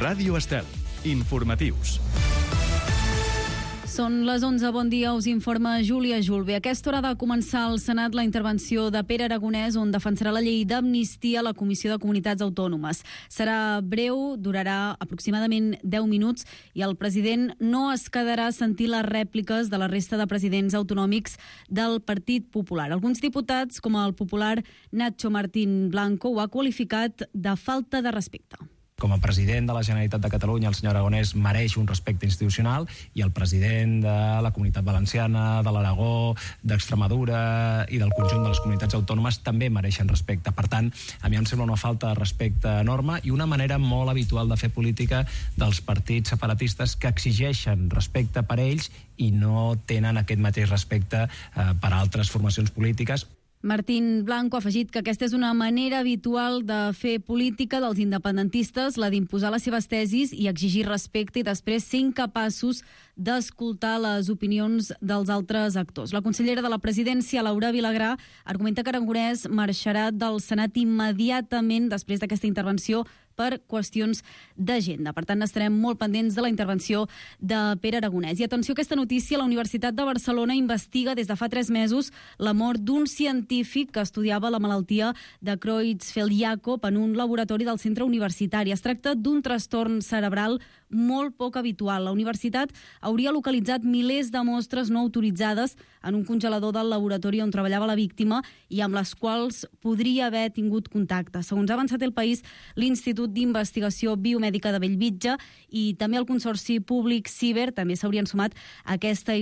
Ràdio Estel. Informatius. Són les 11, bon dia, us informa Júlia Julve. A aquesta hora de començar al Senat la intervenció de Pere Aragonès, on defensarà la llei d'amnistia a la Comissió de Comunitats Autònomes. Serà breu, durarà aproximadament 10 minuts i el president no es quedarà a sentir les rèpliques de la resta de presidents autonòmics del Partit Popular. Alguns diputats, com el popular Nacho Martín Blanco, ho ha qualificat de falta de respecte. Com a president de la Generalitat de Catalunya, el senyor Aragonès mereix un respecte institucional i el president de la Comunitat Valenciana, de l'Aragó, d'Extremadura i del conjunt de les comunitats autònomes també mereixen respecte. Per tant, a mi em sembla una falta de respecte enorme i una manera molt habitual de fer política dels partits separatistes que exigeixen respecte per ells i no tenen aquest mateix respecte per a altres formacions polítiques. Martín Blanco ha afegit que aquesta és una manera habitual de fer política dels independentistes, la d'imposar les seves tesis i exigir respecte i després ser incapaços d'escoltar les opinions dels altres actors. La consellera de la Presidència, Laura Vilagrà, argumenta que Aragonès marxarà del Senat immediatament després d'aquesta intervenció per qüestions d'agenda. Per tant, estarem molt pendents de la intervenció de Pere Aragonès. I atenció a aquesta notícia, la Universitat de Barcelona investiga des de fa 3 mesos la mort d'un científic que estudiava la malaltia de Creutzfeldt-Jakob en un laboratori del centre universitari. Es tracta d'un trastorn cerebral molt poc habitual. La universitat hauria localitzat milers de mostres no autoritzades en un congelador del laboratori on treballava la víctima i amb les quals podria haver tingut contacte. Segons ha avançat El País, l'Institut d'Investigació Biomèdica de Bellvitge i també el Consorci Públic Ciber també s'haurien sumat a aquesta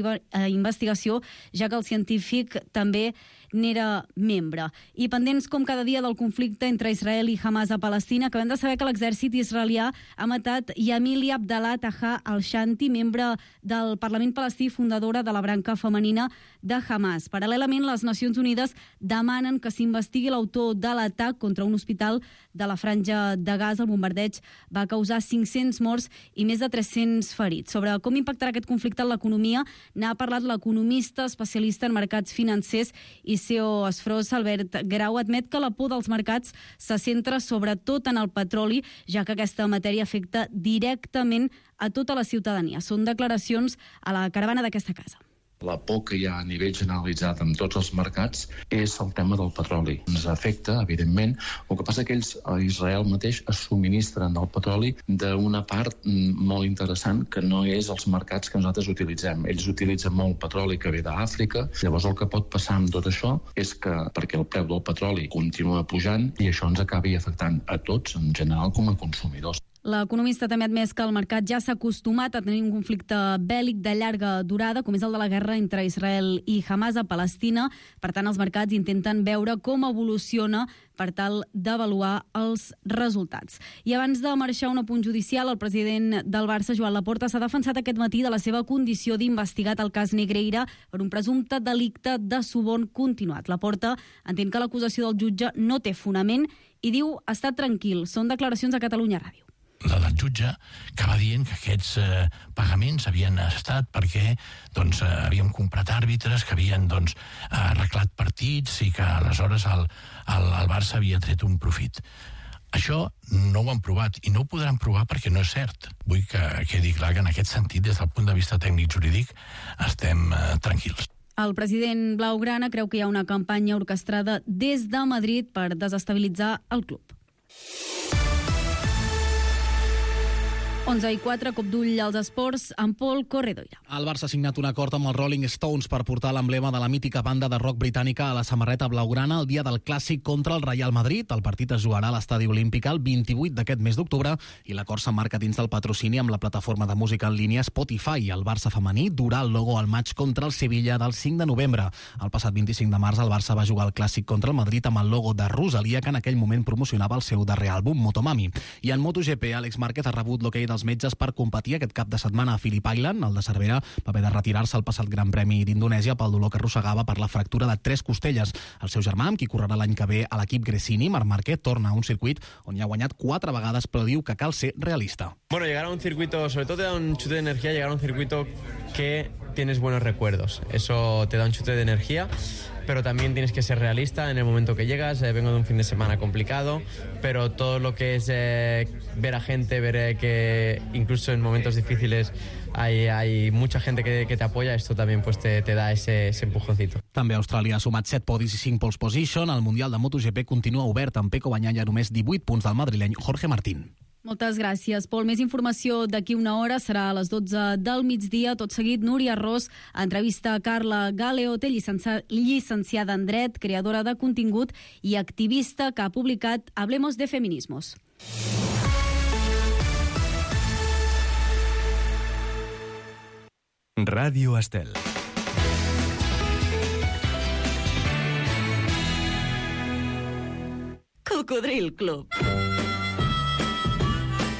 investigació, ja que el científic també n'era membre. I pendents com cada dia del conflicte entre Israel i Hamas a Palestina, acabem de saber que l'exèrcit israelià ha matat Yamili Abdallah Taha al-Shanti, membre del Parlament palestí, fundadora de la branca femenina de Hamas. Paral·lelament, les Nacions Unides demanen que s'investigui l'autor de l'atac contra un hospital de la Franja de Gaza. El bombardeig va causar 500 morts i més de 300 ferits. Sobre com impactarà aquest conflicte en l'economia n'ha parlat l'economista especialista en mercats financers i CEO Esfros, Albert Grau. Admet que la por dels mercats se centra sobretot en el petroli, ja que aquesta matèria afecta directament a tota la ciutadania. Són declaracions a la caravana d'aquesta casa. La por que hi ha a nivell generalitzat en tots els mercats és el tema del petroli. Ens afecta, evidentment. El que passa que ells, a Israel mateix, es subministren el petroli d'una part molt interessant que no és els mercats que nosaltres utilitzem. Ells utilitzen molt petroli que ve d'Àfrica. Llavors el que pot passar amb tot això és que, perquè el preu del petroli continua pujant i això ens acabi afectant a tots, en general, com a consumidors. L'economista també ha admès que el mercat ja s'ha acostumat a tenir un conflicte bèl·lic de llarga durada, com és el de la guerra entre Israel i Hamas a Palestina. Per tant, els mercats intenten veure com evoluciona per tal d'avaluar els resultats. I abans de marxar un apunt judicial, el president del Barça, Joan Laporta, s'ha defensat aquest matí de la seva condició d'investigat al cas Negreira per un presumpte delicte de suborn continuat. Laporta entén que l'acusació del jutge no té fonament i diu estar tranquil. Són declaracions a Catalunya Ràdio. Del jutge que va dient que aquests pagaments havien estat perquè havíem comprat àrbitres, que havien arreglat partits i que aleshores el Barça havia tret un profit. Això no ho han provat i no ho podran provar perquè no és cert. Vull que quedi clar que en aquest sentit, des del punt de vista tècnic-jurídic, estem tranquils. El president blaugrana creu que hi ha una campanya orquestrada des de Madrid per desestabilitzar el club. 11:04, cop d'ull als esports, amb Pol Corredoira. El Barça ha signat un acord amb els Rolling Stones per portar l'emblema de la mítica banda de rock britànica a la samarreta blaugrana el dia del clàssic contra el Real Madrid. El partit es jugarà a l'Estadi Olímpic el 28 d'aquest mes d'octubre i l'acord s'emmarca dins del patrocini amb la plataforma de música en línia Spotify. El Barça femení durà el logo al maig contra el Sevilla del 5 de novembre. El passat 25 de març el Barça va jugar el clàssic contra el Madrid amb el logo de Rosalia, que en aquell moment promocionava el seu darrer àlbum, Motomami. I en MotoGP, Àlex Márquez ha rebut l'okei dels metges per competir aquest cap de setmana a Phillip Island. El de Cervera va haver de retirar-se al passat Gran Premi d'Indonèsia pel dolor que arrossegava per la fractura de 3 costelles. El seu germà, amb qui correrà l'any que ve a l'equip Gresini, Marc Márquez, torna a un circuit on hi ha guanyat 4 vegades, però diu que cal ser realista. Bueno, llegar a un circuito, sobre todo te da un chute de energía, llegar a un circuito que tienes buenos recuerdos. Eso te da un chute de energía. pero también tienes que ser realista en el momento que llegas. Vengo de un fin de semana complicado, pero todo lo que es ver a gente, ver que incluso en momentos difíciles hay mucha gente que te apoya, esto también pues te da ese empujoncito. També Austràlia ha sumat 7 podis i 5 pole position. El Mundial de MotoGP continua obert amb Pecco Bagnaia només 18 punts del madrileny Jorge Martín. Moltes gràcies, Pol. Més informació d'aquí una hora, serà a les 12 del migdia. Tot seguit, Núria Ros entrevista a Carla Galeote, llicenciada en Dret, creadora de contingut i activista que ha publicat Hablemos de Feminismos. Ràdio Estel. Cocodril Club.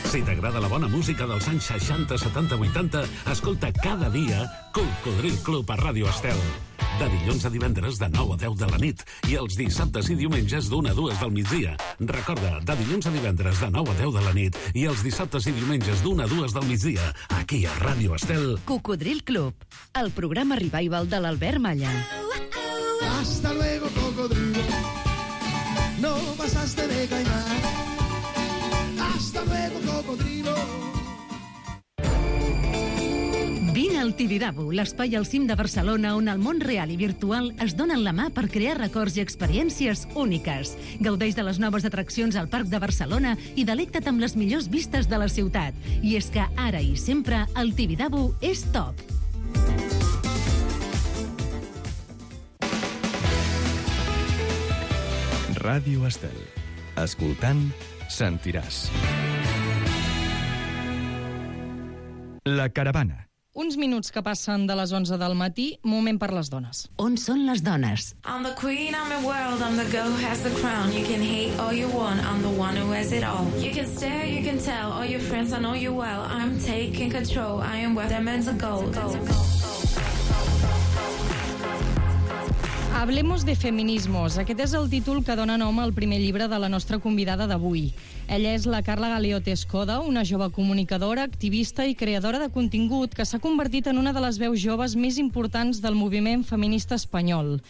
Si t'agrada la bona música dels anys 60, 70, 80, escolta cada dia Cocodril Club a Ràdio Estel. De dilluns a divendres de 9 a 10 de la nit i els dissabtes i diumenges d'1 a 2 del migdia. Recorda, de dilluns a divendres de 9 a 10 de la nit i els dissabtes i diumenges d'1 a 2 del migdia, aquí a Ràdio Estel. Cocodril Club, el programa revival de l'Albert Malla. Hasta luego, cocodrilo. No pasaste de caimán. Hasta luego, cocodrilo. Vine al Tibidabo, l'espai al cim de Barcelona on el món real i virtual es donen la mà per crear records i experiències úniques. Gaudeix de les noves atraccions al Parc de Barcelona i delecta't amb les millors vistes de la ciutat. I és que ara i sempre el Tibidabo és top. Ràdio Estel. Escoltant, sentiràs. La caravana. Uns minuts que passen de les 11 del matí, moment per les dones. On són les dones? I'm the queen, I'm the world, I'm the girl who has the crown. You can hate all you want, I'm the one who has it all. You can stare, you can tell, all your friends, I know you well. I'm taking control, I am where they're meant to go. Hablemos de Feminismos. Aquest és el títol que dona nom al primer llibre de la nostra convidada d'avui. Ella és la Carla Galeote Escoda, una jove comunicadora, activista i creadora de contingut que s'ha convertit en una de les veus joves més importants del moviment feminista espanyol.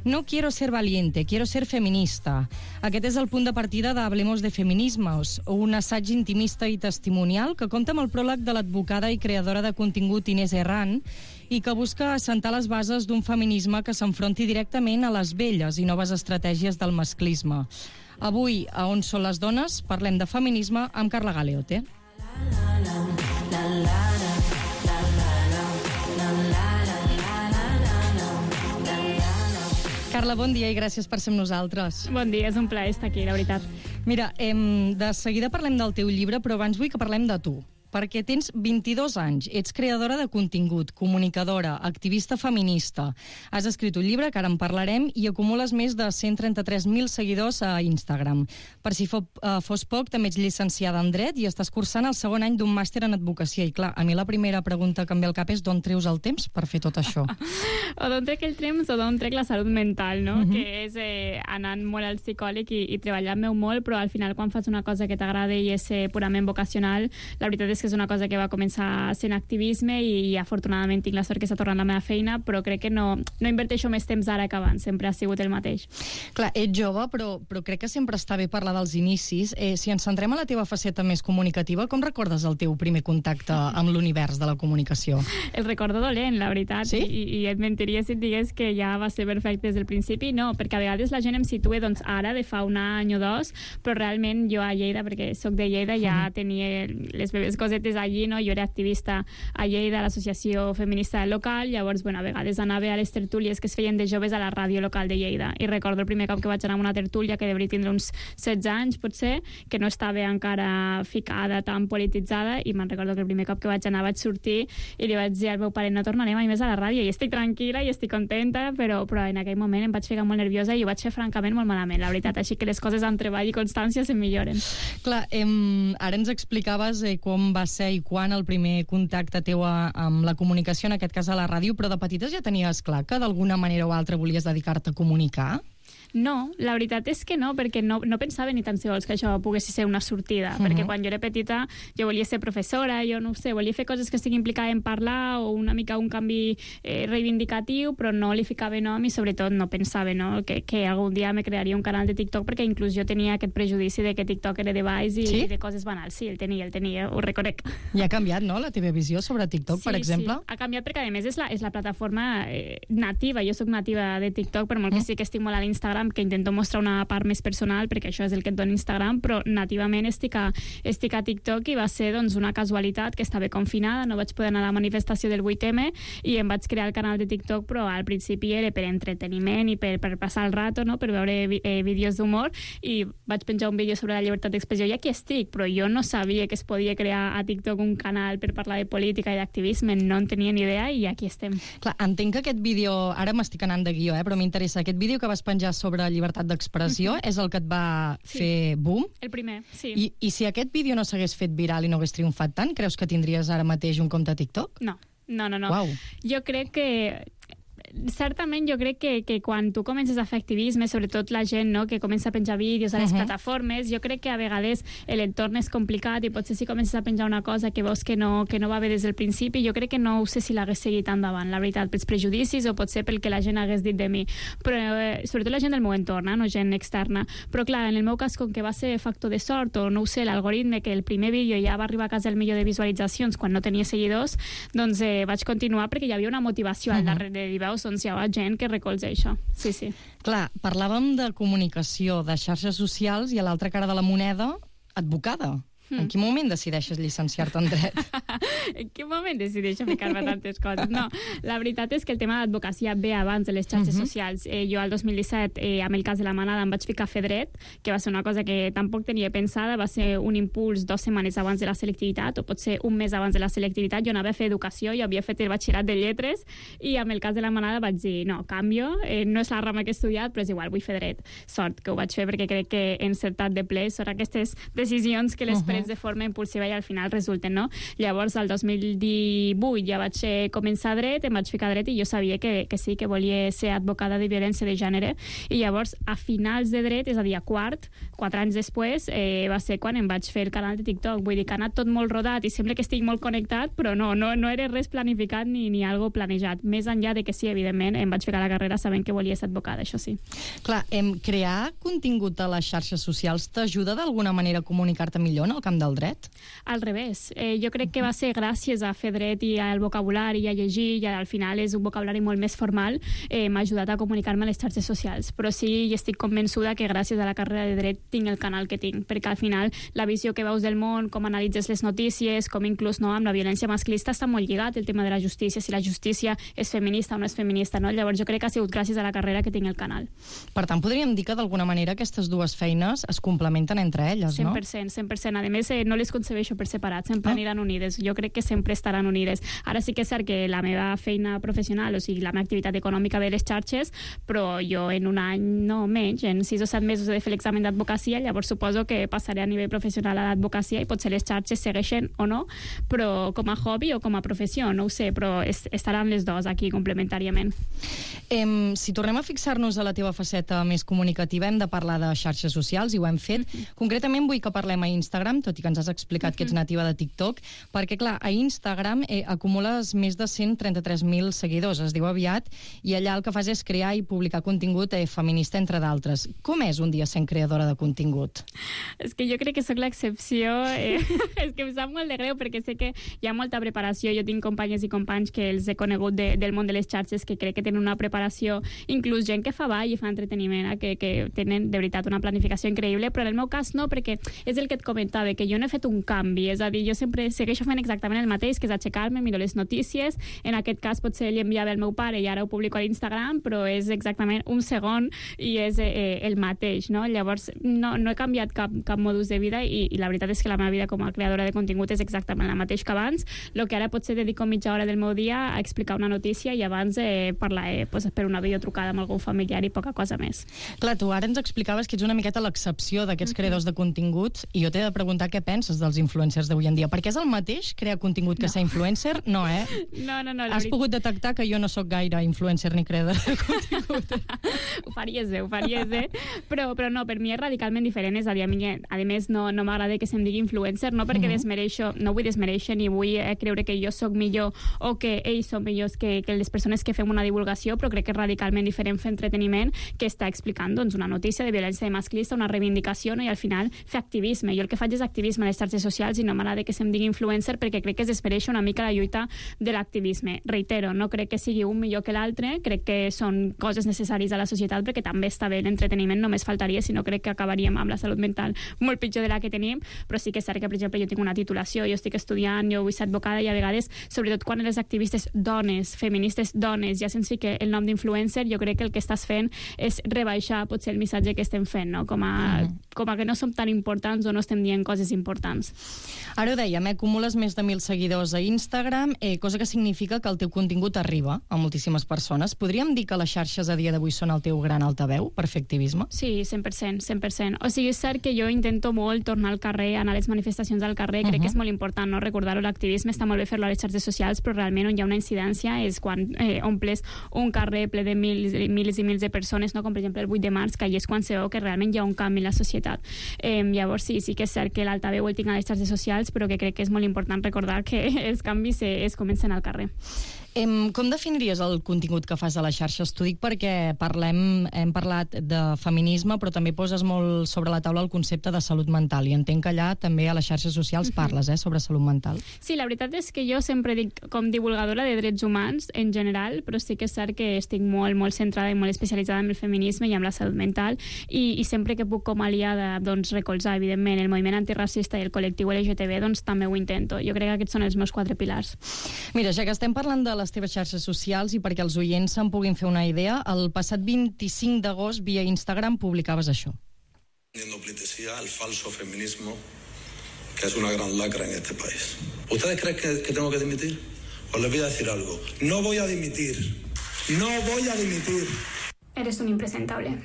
No quiero ser valiente, quiero ser feminista. Aquest és el punt de partida de Hablemos de Feminismos, un assaig intimista i testimonial que compta amb el pròleg de l'advocada i creadora de contingut Inés Herrán i que busca assentar les bases d'un feminisme que s'enfronti directament a les velles i noves estratègies del masclisme. Avui, a On són les dones, parlem de feminisme amb Carla Galeote. Carla, bon dia i gràcies per ser amb nosaltres. Bon dia, és un plaer estar aquí, la veritat. Mira, de seguida parlem del teu llibre, però abans vull que parlem de tu. Perquè tens 22 anys, ets creadora de contingut, comunicadora, activista feminista. Has escrit un llibre, que ara en parlarem, i acumules més de 133.000 seguidors a Instagram. Per si fos poc, també ets llicenciada en Dret i estàs cursant el segon any d'un màster en advocacia. I clar, a mi la primera pregunta que em ve al cap és d'on treus el temps per fer tot això? O d'on trec el temps o d'on trec la salut mental, no? Que és anant molt al psicòleg i treballant-me molt, però al final quan fas una cosa que t'agrada i és purament vocacional, la veritat és que és una cosa que va començar sent activisme i afortunadament tinc la sort que està tornant la meva feina, però crec que no inverteixo més temps ara que abans, sempre ha sigut el mateix. Clar, ets jove, però crec que sempre està bé parlar dels inicis. Si ens centrem a la teva faceta més comunicativa, com recordes el teu primer contacte amb l'univers de la comunicació? El recordo dolent, la veritat, sí? I et mentiria si et digués que ja va ser perfecte des del principi, no, perquè a vegades la gent em situa doncs, ara, de fa un any o dos, però realment jo a Lleida, perquè soc de Lleida, ja tenia les meves cosetes allí, no? Jo era activista a Lleida, a l'associació feminista local, llavors, bueno, a vegades anava a les tertúlies que es feien de joves a la ràdio local de Lleida, i recordo el primer cop que vaig anar a una tertúlia, que devia tindre uns 16 anys, potser, que no estava encara ficada, tan polititzada, i me'n recordo que el primer cop que vaig anar vaig sortir i li vaig dir al meu pare, no tornaré mai més a la ràdio, i estic tranquil·la i estic contenta, però en aquell moment em vaig ficar molt nerviosa i ho vaig fer francament molt malament, la veritat, així que les coses amb treball i constància se'n milloren. Clar, ara ens explicaves com va ser i quan el primer contacte teu amb la comunicació, en aquest cas a la ràdio, però de petites ja tenies clar que d'alguna manera o altra volies dedicar-te a comunicar? No, la veritat és que no, perquè no pensava ni tan sols que això pogués ser una sortida, perquè quan jo era petita jo volia ser professora, jo no ho sé, volia fer coses que estiguin implicades en parlar o una mica un canvi reivindicatiu, però no li ficava nom i sobretot no pensava que algun dia me crearia un canal de TikTok, perquè inclús jo tenia aquest prejudici de que TikTok era de baix i de coses banals. Sí, el tenia, ho reconec. I ha canviat, no?, la teva visió sobre TikTok, per exemple? Sí, ha canviat perquè, a més, és la plataforma nativa. Jo soc nativa de TikTok, per molt que sí que estic molt a l'Instagram, que intento mostrar una part més personal, perquè això és el que et dona Instagram, però nativament estic a TikTok i va ser una casualitat que estava confinada, no vaig poder anar a la manifestació del 8M i em vaig crear el canal de TikTok, però al principi era per entreteniment i per passar el rato, no?, per veure vídeos d'humor, i vaig penjar un vídeo sobre la llibertat d'expressió i aquí estic, però jo no sabia que es podia crear a TikTok un canal per parlar de política i d'activisme, no en tenia ni idea i aquí estem. Clar, entenc que aquest vídeo, ara m'estic anant de guió, però m'interessa, aquest vídeo que vas penjar sobre llibertat d'expressió és el que et va fer boom? El primer, sí. I si aquest vídeo no s'hagués fet viral i no hagués triomfat tant, creus que tindries ara mateix un compte a TikTok? No. Uau. Jo crec que certament jo crec que quan tu comences a fer activisme, sobretot la gent que comença a penjar vídeos a les plataformes, jo crec que a vegades l'entorn és complicat i potser si comences a penjar una cosa que veus que no va bé des del principi, jo crec que no ho sé si l'hagués seguit endavant, la veritat, pels prejudicis o potser pel que la gent hagués dit de mi, però sobretot la gent del meu entorn, no gent externa, però clar, en el meu cas, com que va ser factor de sort o no ho sé, l'algoritme, que el primer vídeo ja va arribar a casa el milió de visualitzacions quan no tenia seguidors, doncs vaig continuar perquè hi havia una motivació al darrere i veus, doncs hi ha gent que recolza això. Sí. Clar, parlàvem de comunicació, de xarxes socials i a l'altra cara de la moneda, advocada. En quin moment decideixes llicenciar-te en dret? En quin moment decideixo ficar-me tantes coses? No, la veritat és que el tema d'advocacia ve abans de les xarxes socials. Jo al 2017, amb el cas de la manada, em vaig ficar a fer dret, que va ser una cosa que tampoc tenia pensada, va ser un impuls 2 setmanes abans de la selectivitat, o potser un mes abans de la selectivitat. Jo anava a fer educació, jo havia fet el batxillerat de lletres, i amb el cas de la manada vaig dir, no, canvio, no és la rama que he estudiat, però és igual, vull fer dret. Sort que ho vaig fer perquè crec que he encertat de ple, són aquestes decisions que les de forma impulsiva i al final resulten, no? Llavors, al 2018 ja vaig començar dret, em vaig ficar dret i jo sabia que sí, que volia ser advocada de violència de gènere, i llavors, a finals de dret, és a dir, a 4 anys després, va ser quan em vaig fer el canal de TikTok. Vull dir que ha anat tot molt rodat i sembla que estic molt connectat, però no era res planificat ni algo planejat. Més enllà de que sí, evidentment, em vaig ficar a la carrera sabent que volia ser advocada, això sí. Clar, crear contingut a les xarxes socials t'ajuda d'alguna manera a comunicar-te millor en el camp del dret? Al revés. Jo crec que va ser gràcies a fer dret i al vocabulari i a llegir, i al final és un vocabulari molt més formal, m'ha ajudat a comunicar-me a les xarxes socials. Però sí, estic convençuda que gràcies a la carrera de dret tinc el canal que tinc, perquè al final la visió que veus del món, com analitzes les notícies, com inclús amb la violència masclista està molt lligat el tema de la justícia, si la justícia és feminista o no és feminista, no? Llavors jo crec que ha sigut gràcies a la carrera que tinc el canal. Per tant, podríem dir que d'alguna manera aquestes dues feines es complementen entre elles, no? 100%. A més, no les concebeixo per separat, sempre aniran unides. Jo crec que sempre estaran unides. Ara sí que és cert que la meva feina professional, o sigui, la meva activitat econòmica ve a les xarxes, però jo en un any, no menys, en 6 o 7 mesos he de fer l'examen d'advocacia, llavors suposo que passaré a nivell professional a l'advocacia i potser les xarxes segueixen o no, però com a hobby o com a professió, no ho sé, però estaran les dues aquí complementàriament. Si tornem a fixar-nos a la teva faceta més comunicativa, hem de parlar de xarxes socials i ho hem fet. Concretament vull que parlem a Instagram, tot i que ens has explicat que ets nativa de TikTok, perquè, clar, a Instagram acumules més de 133.000 seguidors, es diu aviat, i allà el que fas és crear i publicar contingut feminista, entre d'altres. Com és un dia sent creadora de contingut? És que jo crec que sóc l'excepció. És que em sap molt de greu, perquè sé que hi ha molta preparació. Jo tinc companyes i companys que els he conegut del món de les xarxes, que crec que tenen una preparació, inclús gent que fa ball i fa entreteniment, que tenen, de veritat, una planificació increïble, però en el meu cas no, perquè és el que et comentava, que jo no he fet un canvi, és a dir, jo sempre segueixo fent exactament el mateix, que és aixecar-me, miro les notícies, en aquest cas potser li enviava al meu pare i ara ho publico a l'Instagram, però és exactament un segon i és el mateix, no? Llavors no he canviat cap modus de vida i la veritat és que la meva vida com a creadora de contingut és exactament la mateix que abans, el que ara potser dedico mitja hora del meu dia a explicar una notícia i abans parlar per una videotrucada amb algun familiar i poca cosa més. Clar, tu ara ens explicaves que ets una miqueta l'excepció d'aquests creadors de continguts i jo t'he de preguntar Laura, què penses dels influencers d'avui en dia? Perquè és el mateix crear contingut que ser influencer? No, No. Has pogut detectar que jo no sóc gaire influencer ni creadora de contingut. Ho faries bé. Però no, per mi és radicalment diferent. És a dir, a més, no m'agrada que se'm digui influencer, no perquè desmereixo, no vull desmereixer ni vull creure que jo sóc millor o que ells són millors que les persones que fem una divulgació, però crec que és radicalment diferent fer entreteniment que està explicant una notícia de violència masclista, una reivindicació, i al final fer activisme. Jo el que faig és activisme a les xarxes socials i no m'agrada que se'm digui influencer perquè crec que es desmereix una mica la lluita de l'activisme. Reitero, no crec que sigui un millor que l'altre, crec que són coses necessàries a la societat perquè també està bé l'entreteniment, només faltaria, si no crec que acabaríem amb la salut mental molt pitjor de la que tenim, però sí que és cert que, per exemple, jo tinc una titulació, jo estic estudiant, jo vull ser advocada i a vegades, sobretot quan les activistes dones, feministes dones, ja se'ns fica el nom d'influencer, jo crec que el que estàs fent és rebaixar potser el missatge que estem fent, no? Com a que no som tan importants o no estem dient coses importants. Ara ho dèiem, acumules més de 1.000 seguidors a Instagram, cosa que significa que el teu contingut arriba a moltíssimes persones. Podríem dir que les xarxes a dia d'avui són el teu gran altaveu per fer activisme? Sí, 100%. O sigui, és cert que jo intento molt tornar al carrer, anar a les manifestacions al carrer, crec que és molt important, no? Recordar-ho, l'activisme està molt bé fer-lo a les xarxes socials, però realment on hi ha una incidència és quan omples un carrer ple de mils i mils de persones, no? Com per exemple el 8 de març, que allà és quan se veu que realment hi ha un canvi en la societat. Llavors sí que és cert que l'altaveu el tinc a les xarxes socials, però que crec que és molt important recordar que els canvis es comencen al carrer. Com definiries el contingut que fas a les xarxes? T'ho dic perquè hem parlat de feminisme, però també poses molt sobre la taula el concepte de salut mental, i entenc que allà també a les xarxes socials parles sobre salut mental. Sí, la veritat és que jo sempre dic com divulgadora de drets humans en general, però sí que és cert que estic molt centrada i molt especialitzada en el feminisme i en la salut mental, i sempre que puc com a aliada recolzar, evidentment, el moviment antiracista i el col·lectiu LGTB, també ho intento. Jo crec que aquests són els meus 4 pilars. Mira, ja que estem parlant de les teves xarxes socials i perquè els oients se'n puguin fer una idea, el passat 25 d'agost via Instagram publicaves això. Poniendo pleitesía al falso feminismo, que es una gran lacra en este país. ¿Ustedes creen que tengo que dimitir? Os les voy a decir algo. No voy a dimitir. No voy a dimitir. Eres un impresentable.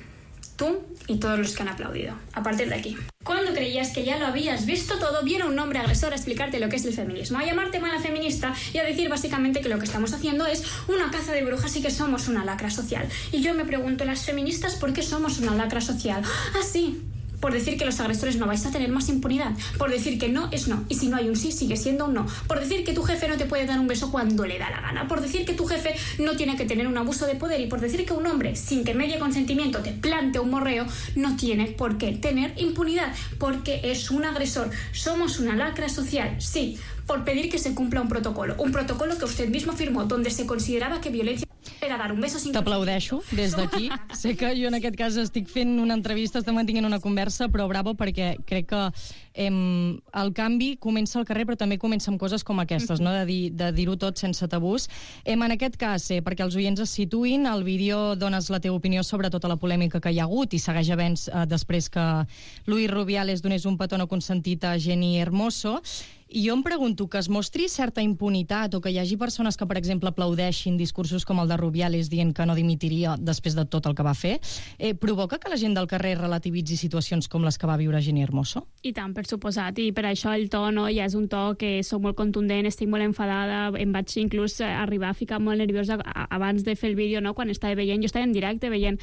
Tú y todos los que han aplaudido. A partir de aquí. Cuando creías que ya lo habías visto todo, viene un hombre agresor a explicarte lo que es el feminismo, a llamarte mala feminista y a decir básicamente que lo que estamos haciendo es una caza de brujas y que somos una lacra social. Y yo me pregunto, las feministas, ¿por qué somos una lacra social? Ah, sí. Por decir que los agresores no vais a tener más impunidad, por decir que no es no, y si no hay un sí, sigue siendo un no, por decir que tu jefe no te puede dar un beso cuando le da la gana, por decir que tu jefe no tiene que tener un abuso de poder, y por decir que un hombre, sin que medie consentimiento, te plante un morreo, no tiene por qué tener impunidad, porque es un agresor. Somos una lacra social, sí, por pedir que se cumpla un protocolo que usted mismo firmó, donde se consideraba que violencia era dar un beso sin... T'aplaudeixo des d'aquí. Sé que jo en aquest cas estic fent una entrevista, estem mantenint una conversa, però bravo, perquè crec que el canvi comença al carrer, però també comença amb coses com aquestes, no? de dir-ho tot sense tabús. En aquest cas, perquè els oients es situïn, al vídeo dones la teva opinió sobre tota la polèmica que hi ha hagut i segueix havent després que Luis Rubiales donés un petó no consentit a Jenny Hermoso. I jo em pregunto que es mostri certa impunitat o que hi hagi persones que, per exemple, aplaudeixin discursos com el de Rubiales dient que no dimitiria després de tot el que va fer, provoca que la gent del carrer relativitzi situacions com les que va viure Jenny Hermoso? I tant, per suposat, i per això el to ja és un to que soc molt contundent, estic molt enfadada, em vaig inclús arribar a ficar molt nerviosa abans de fer el vídeo, no? Quan estava veient, jo estava en directe veient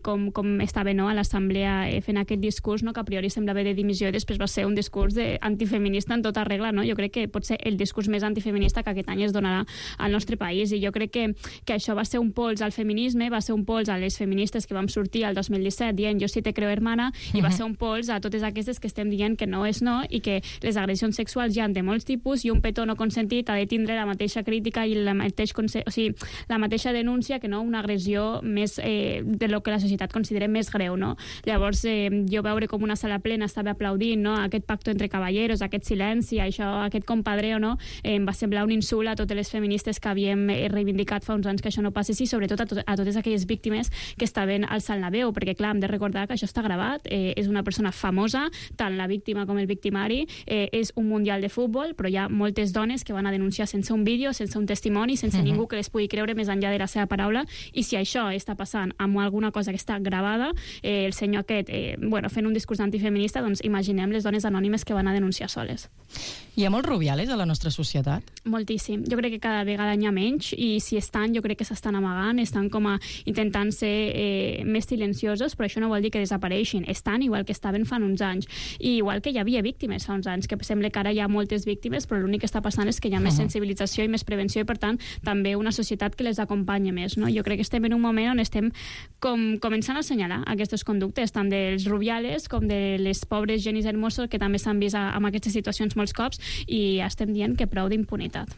com estava a l'assemblea fent aquest discurs, que a priori semblava de dimissió i després va ser un discurs antifeminista en tota regla. No? Jo crec que pot ser el discurs més antifeminista que aquest any es donarà al nostre país, i jo crec que això va ser un pols al feminisme, va ser un pols a les feministes que vam sortir el 2017 dient jo sí te creo hermana, i va ser un pols a totes aquestes que estem dient que no és no i que les agressions sexuals hi ha de molts tipus i un petó no consentit ha de tindre la mateixa crítica i la mateixa denúncia que no una agressió més de lo que la societat considera més greu, no? Llavors jo veure com una sala plena estava aplaudint, no? Aquest pacto entre caballeros, aquest silenci, aquest compadreo, no? Em va semblar un insult a totes les feministes que havíem reivindicat fa uns anys que això no passés, i sobretot a totes aquelles víctimes que estaven alçant la veu, perquè clar, hem de recordar que això està gravat, és una persona famosa, tant la víctima com el victimari, és un mundial de futbol, però hi ha moltes dones que van a denunciar sense un vídeo, sense un testimoni, sense ningú que les pugui creure més enllà de la seva paraula, i si això està passant amb alguna cosa que està gravada, el senyor aquest, fent un discurs antifeminista, doncs imaginem les dones anònimes que van a denunciar soles. Hi ha molts Rubiales a la nostra societat? Moltíssim. Jo crec que cada vegada n'hi ha menys, i si estan, jo crec que s'estan amagant, estan com a intentant ser més silenciosos, però això no vol dir que desapareixin. Estan igual que estaven fa uns anys. I igual que hi havia víctimes fa uns anys, que sembla que ara hi ha moltes víctimes, però l'únic que està passant és que hi ha més sensibilització i més prevenció, i per tant també una societat que les acompanya més, no? Jo crec que estem en un moment on estem començant a assenyalar aquestes conductes, tant dels Rubiales com de les pobres Jenny Hermoso, que també s'han vist en aquestes situacions molts cops, i estem dient que prou d'impunitat.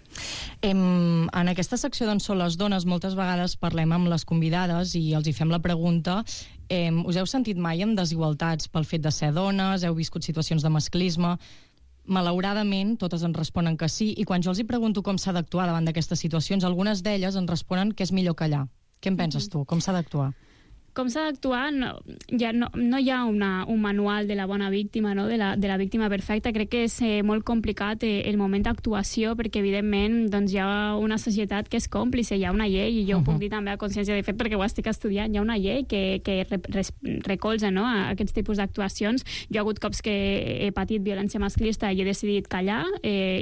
En aquesta secció d'on són les dones, moltes vegades parlem amb les convidades i els hi fem la pregunta: us heu sentit mai amb desigualtats pel fet de ser dones? Heu viscut situacions de masclisme? Malauradament, totes ens responen que sí, i quan jo els hi pregunto com s'ha d'actuar davant d'aquestes situacions, algunes d'elles ens responen que és millor callar. Què en penses tu? Com s'ha d'actuar? Com s'ha d'actuar? No hi ha un manual de la bona víctima, no? de la víctima perfecta. Crec que és molt complicat el moment d'actuació, perquè evidentment doncs, hi ha una societat que és còmplice, hi ha una llei, i jo ho puc dir també a consciència de fet perquè ho estic estudiant, hi ha una llei que recolza, no? a aquests tipus d'actuacions. Jo he hagut cops que he patit violència masclista i he decidit callar,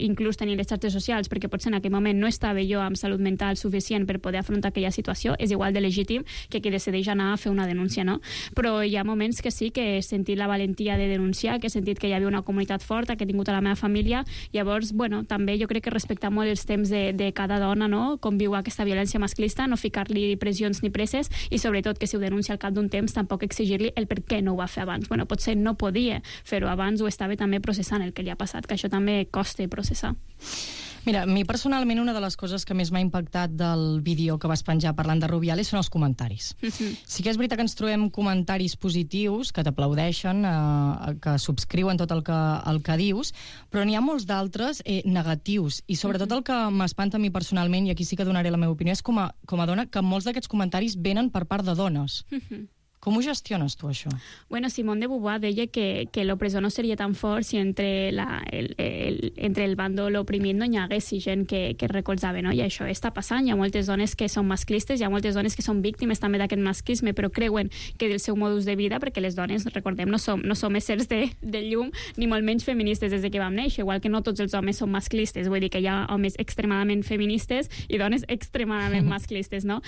inclús tenir les xarxes socials, perquè potser en aquell moment no estava jo amb salut mental suficient per poder afrontar aquella situació. És igual de legítim que qui decideix anar a fer una denúncia, no? Però hi ha moments que sí que he sentit la valentia de denunciar, que he sentit que hi havia una comunitat forta, que he tingut a la meva família. Llavors, també jo crec que respectar molt els temps de cada dona, no? Com viu aquesta violència masclista, no ficar-li pressions ni presses, i sobretot que si ho denuncia al cap d'un temps tampoc exigir-li el per què no ho va fer abans. Potser no podia fer-ho abans, o estava també processant el que li ha passat, que això també costa processar. Mira, a mi personalment una de les coses que més m'ha impactat del vídeo que vas penjar parlant de Rubiales són els comentaris. Sí que és veritat que ens trobem comentaris positius, que t'aplaudeixen, que subscriuen tot el que dius, però n'hi ha molts d'altres negatius, i sobretot el que m'espanta a mi personalment, i aquí sí que donaré la meva opinió, és com a dona, que molts d'aquests comentaris venen per part de dones. Com ho gestiones tu, això? Simone de Beauvoir deia que l'opressor no seria tan fort si entre el bàndol oprimit no hi hagués gent que recolzava, no? I això està passant. Hi ha moltes dones que són masclistes, hi ha moltes dones que són víctimes també d'aquest masclisme, però creuen que del seu modus de vida, perquè les dones, recordem, no som éssers de llum, ni molt menys feministes des que vam néixer, igual que no tots els homes són masclistes, vull dir que hi ha homes extremadament feministes i dones extremadament masclistes, no?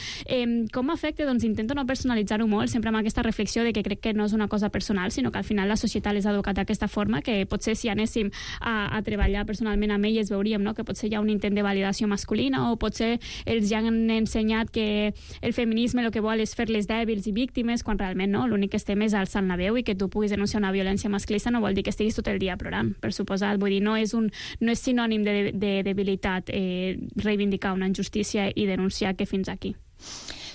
Com afecta? Doncs intento no personalitzar-ho molt, sempre amb aquesta reflexió de que crec que no és una cosa personal, sinó que al final la societat les ha educat d'aquesta forma, que potser si anéssim a treballar personalment amb elles veuríem, no? Que potser hi ha un intent de validació masculina, o potser els ja han ensenyat que el feminisme el que vol és fer-les dèbils i víctimes, quan realment no, l'únic que estem és alçant la veu, i que tu puguis denunciar una violència masclista no vol dir que estiguis tot el dia plorant, per suposat. Vull dir, no és sinònim de debilitat reivindicar una injustícia i denunciar que fins aquí.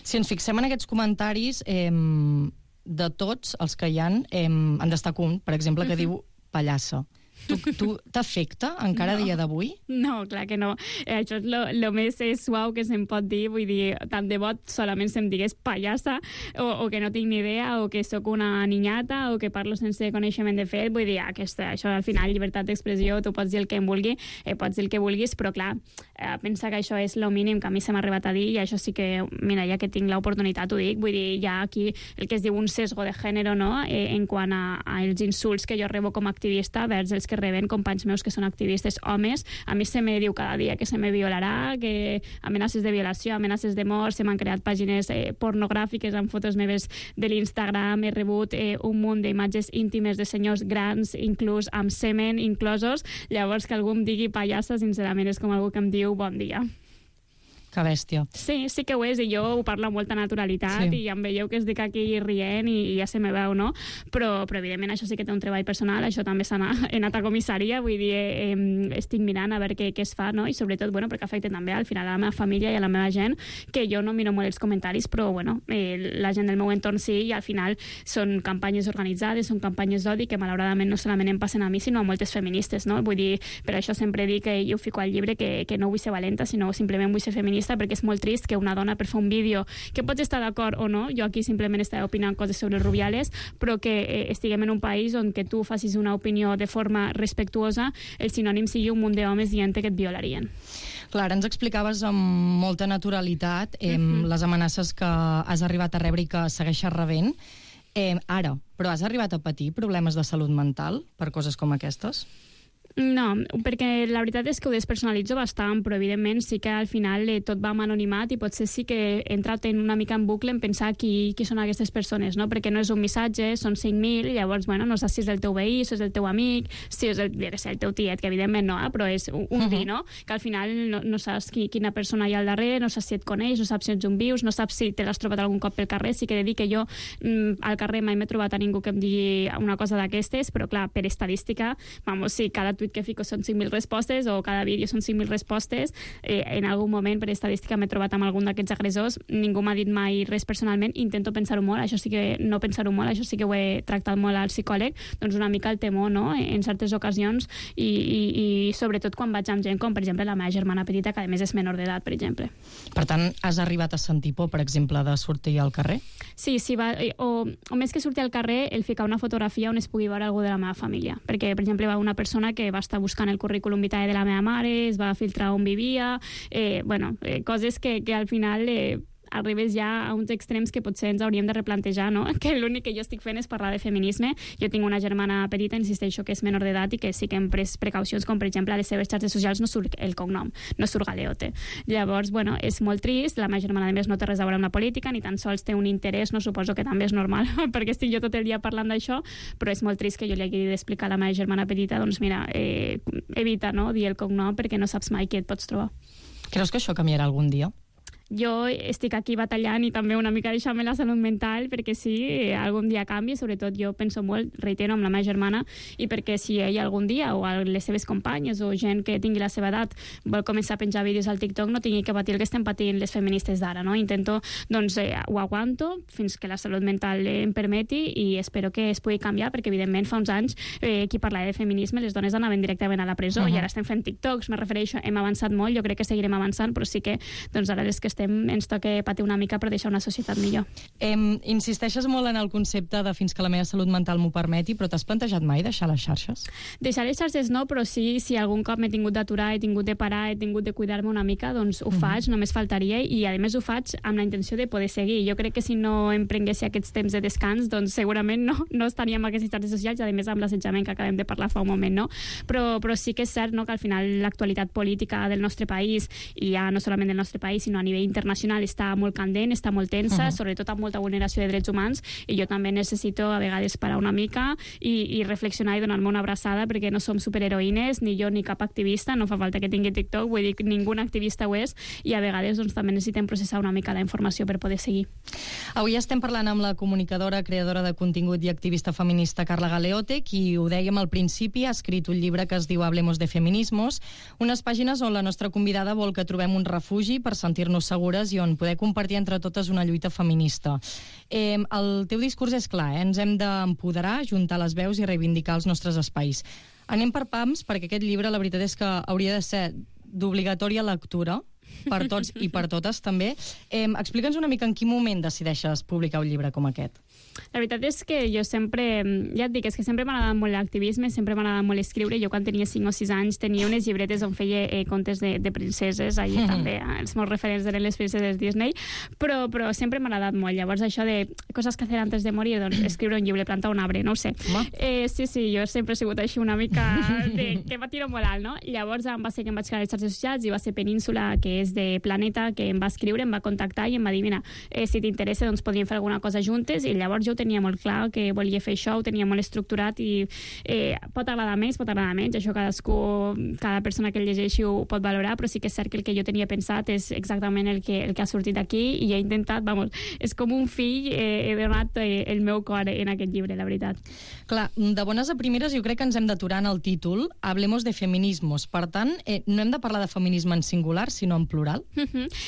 Si ens fixem en aquests comentaris, de tots els que hi ha, en destaco un, per exemple, que diu pallassa. Tu t'afecta encara a dia d'avui? No, clar que no. Això és lo més suau que se'm pot dir. Vull dir, tant de bo solament se'm digués pallassa, o que no tinc ni idea, o que sóc una niñata, o que parlo sense coneixement de fet. Vull dir, això al final, llibertat d'expressió, tu pots dir el que em vulgui, pots dir el que vulguis, però clar, pensa que això és lo mínim que a mi se m'ha arribat a dir, i això sí que, mira, ja que tinc l'oportunitat ho dic. Vull dir, hi ha aquí el que es diu un sesgo de gènere, no?, en quant als insults que jo rebo com a activista vers els que reben companys meus que són activistes homes. A mi se me diu cada dia que se me violarà, que amenaces de violació, amenaces de mort, se m'han creat pàgines pornogràfiques amb fotos meves de l'Instagram, he rebut un munt d'imatges íntimes de senyors grans, inclús amb semen inclosos. Llavors que algú em digui pallassa, sincerament és com algú que em diu bon dia. Que bèstia. Sí, sí que ho és, i jo ho parlo amb molta naturalitat, i em veieu que estic aquí rient i ja se me veu, no? Però evidentment això sí que té un treball personal, això també he anat a comissaria, vull dir, estic mirant a veure què es fa, no? I sobretot, bueno, perquè afecta també al final a la meva família i a la meva gent, que jo no miro molt els comentaris, però, bueno, la gent del meu entorn sí, i al final són campanyes organitzades, són campanyes d'odi que malauradament no solament em passen a mi, sinó a moltes feministes, no? Vull dir, per això sempre dic que jo fico al llibre que no vull ser valenta, sinó simplement vull ser feminista, perquè és molt trist que una dona per fer un vídeo, que pots estar d'acord o no, jo aquí simplement estava opinant coses sobre els Rubiales, però que estiguem en un país on que tu facis una opinió de forma respectuosa, el sinònim sigui un munt d'homes dient que et violarien. Clar, ens explicaves amb molta naturalitat les amenaces que has arribat a rebre i que segueixes rebent. Ara, però has arribat a patir problemes de salut mental per coses com aquestes? No, perquè la veritat és que ho despersonalitzo bastant, però evidentment sí que al final tot va amb anonimat i potser sí que he entrat una mica en bucle en pensar qui són aquestes persones, no? Perquè no és un missatge, són 5.000, llavors, bueno, no saps si és el teu veí, si és el teu amic, si és el teu tiet, que evidentment no, però és un vi, no? Que al final no saps quina persona hi ha al darrere, no saps si et coneix, no saps si ets un vius, no saps si te l'has trobat algun cop pel carrer. Sí que he de dir que jo al carrer mai m'he trobat a ningú que em digui una cosa d'aquestes, però clar, per estadística, sí, cada tuit que fico són 5.000 respostes o cada vídeo són 5.000 respostes, en algun moment per estadística m'he trobat amb algun d'aquests agressors, ningú m'ha dit mai res personalment, intento pensar-ho molt, això sí que no pensar-ho molt, això sí que ho he tractat molt al psicòleg, doncs una mica el temor, no?, en certes ocasions i sobretot quan vaig amb gent com, per exemple, la meva germana petita, que a més és menor d'edat, per exemple. Per tant, has arribat a sentir por, per exemple, de sortir al carrer? Sí, o més que sortir al carrer, el ficar una fotografia on es pugui veure algú de la meva família, perquè, per exemple, va una persona que va estar buscant el currículum vitae de la meva mare, es va filtrar on vivia, coses que al final arribes ja a uns extrems que potser ens hauríem de replantejar, no? Que l'únic que jo estic fent és parlar de feminisme. Jo tinc una germana petita, insisteixo, que és menor d'edat i que sí que hem pres precaucions, com per exemple a les seves xarxes socials no surt el cognom, no surt Galeote. Llavors, bueno, és molt trist, la meva germana a més no té res a veure amb la política, ni tan sols té un interès, no suposo que també és normal, perquè estic jo tot el dia parlant d'això, però és molt trist que jo li hagi d'explicar a la meva germana petita, doncs mira, evita, no?, dir el cognom perquè no saps mai què et pots trobar. Creus que això canviarà algun dia? Jo estic aquí batallant i també una mica deixant-me la salut mental perquè sí, algun dia canvi, sobretot jo penso molt, reitero, amb la meva germana, i perquè si ella algun dia o les seves companyes o gent que tingui la seva edat vol començar a penjar vídeos al TikTok no tingui que patir el que estem patint les feministes d'ara, no? Intento, doncs, ho aguanto fins que la salut mental em permeti i espero que es pugui canviar perquè evidentment fa uns anys qui parlava de feminisme les dones anaven directament a la presó i ara estem fent TikToks, me refereixo, hem avançat molt, jo crec que seguirem avançant, però sí que doncs ara és que ens toca patir una mica per deixar una societat millor. Insisteixes molt en el concepte de fins que la meva salut mental m'ho permeti, però t'has plantejat mai deixar les xarxes? Deixar les xarxes no, però sí, si algun cop m'he tingut d'aturar, he tingut de parar, he tingut de cuidar-me una mica, doncs ho faig, només faltaria, i a més ho faig amb la intenció de poder seguir. Jo crec que si no em prengués aquests temps de descans, doncs segurament no estaríem amb aquestes xarxes socials, i a més amb l'assetjament que acabem de parlar fa un moment, no? Però sí que és cert, no?, que al final l'actualitat política del nostre país, i ja no solament del nostre país, sinó a nivell internacional, està molt candent, està molt tensa, sobretot amb molta vulneració de drets humans, i jo també necessito a vegades parar una mica i reflexionar i donar-me una abraçada, perquè no som superheroïnes, ni jo ni cap activista, no fa falta que tingui TikTok, vull dir que ningú activista ho és, i a vegades doncs, també necessitem processar una mica la informació per poder seguir. Avui estem parlant amb la comunicadora, creadora de contingut i activista feminista Carla Galeote, qui, ho dèiem al principi, ha escrit un llibre que es diu Hablemos de Feminismos, unes pàgines on la nostra convidada vol que trobem un refugi per sentir-nos segures i on poder compartir entre totes una lluita feminista. El teu discurs és clar, ens hem d'empoderar, juntar les veus i reivindicar els nostres espais. Anem per pams, perquè aquest llibre la veritat és que hauria de ser d'obligatòria lectura per tots i per totes també. Explica'ns una mica en quin moment decideixes publicar un llibre com aquest. La veritat és que jo sempre, ja et dic, és que sempre m'ha agradat molt l'activisme, sempre m'ha agradat molt escriure. Jo quan tenia 5 o 6 anys tenia unes llibretes on feia contes de princeses, allà també, els meus referents eren les princeses Disney, però sempre m'ha agradat molt. Llavors això de coses que hacer antes de morir, doncs escriure un llibre, plantar un arbre, no ho sé. Sí, jo sempre he sigut així una mica que va tirar molt alt, no? Llavors va ser que em vaig crear les xarxes socials i va ser Península, que és de Planeta, que em va escriure, em va contactar i em va dir, mira, si t'interessa doncs podríem fer alguna cosa juntes, i llavors jo ho tenia molt clar, que volia fer això, ho tenia molt estructurat i pot agradar més, pot agradar menys, això cada persona que el llegeixi ho pot valorar, però sí que és cert que el que jo tenia pensat és exactament el que ha sortit aquí i he intentat, és com un fill, he donat el meu cor en aquest llibre, la veritat. Clar, de bones a primeres jo crec que ens hem d'aturar en el títol, Hablemos de feminismos, per tant, no hem de parlar de feminisme en singular, sinó en plural.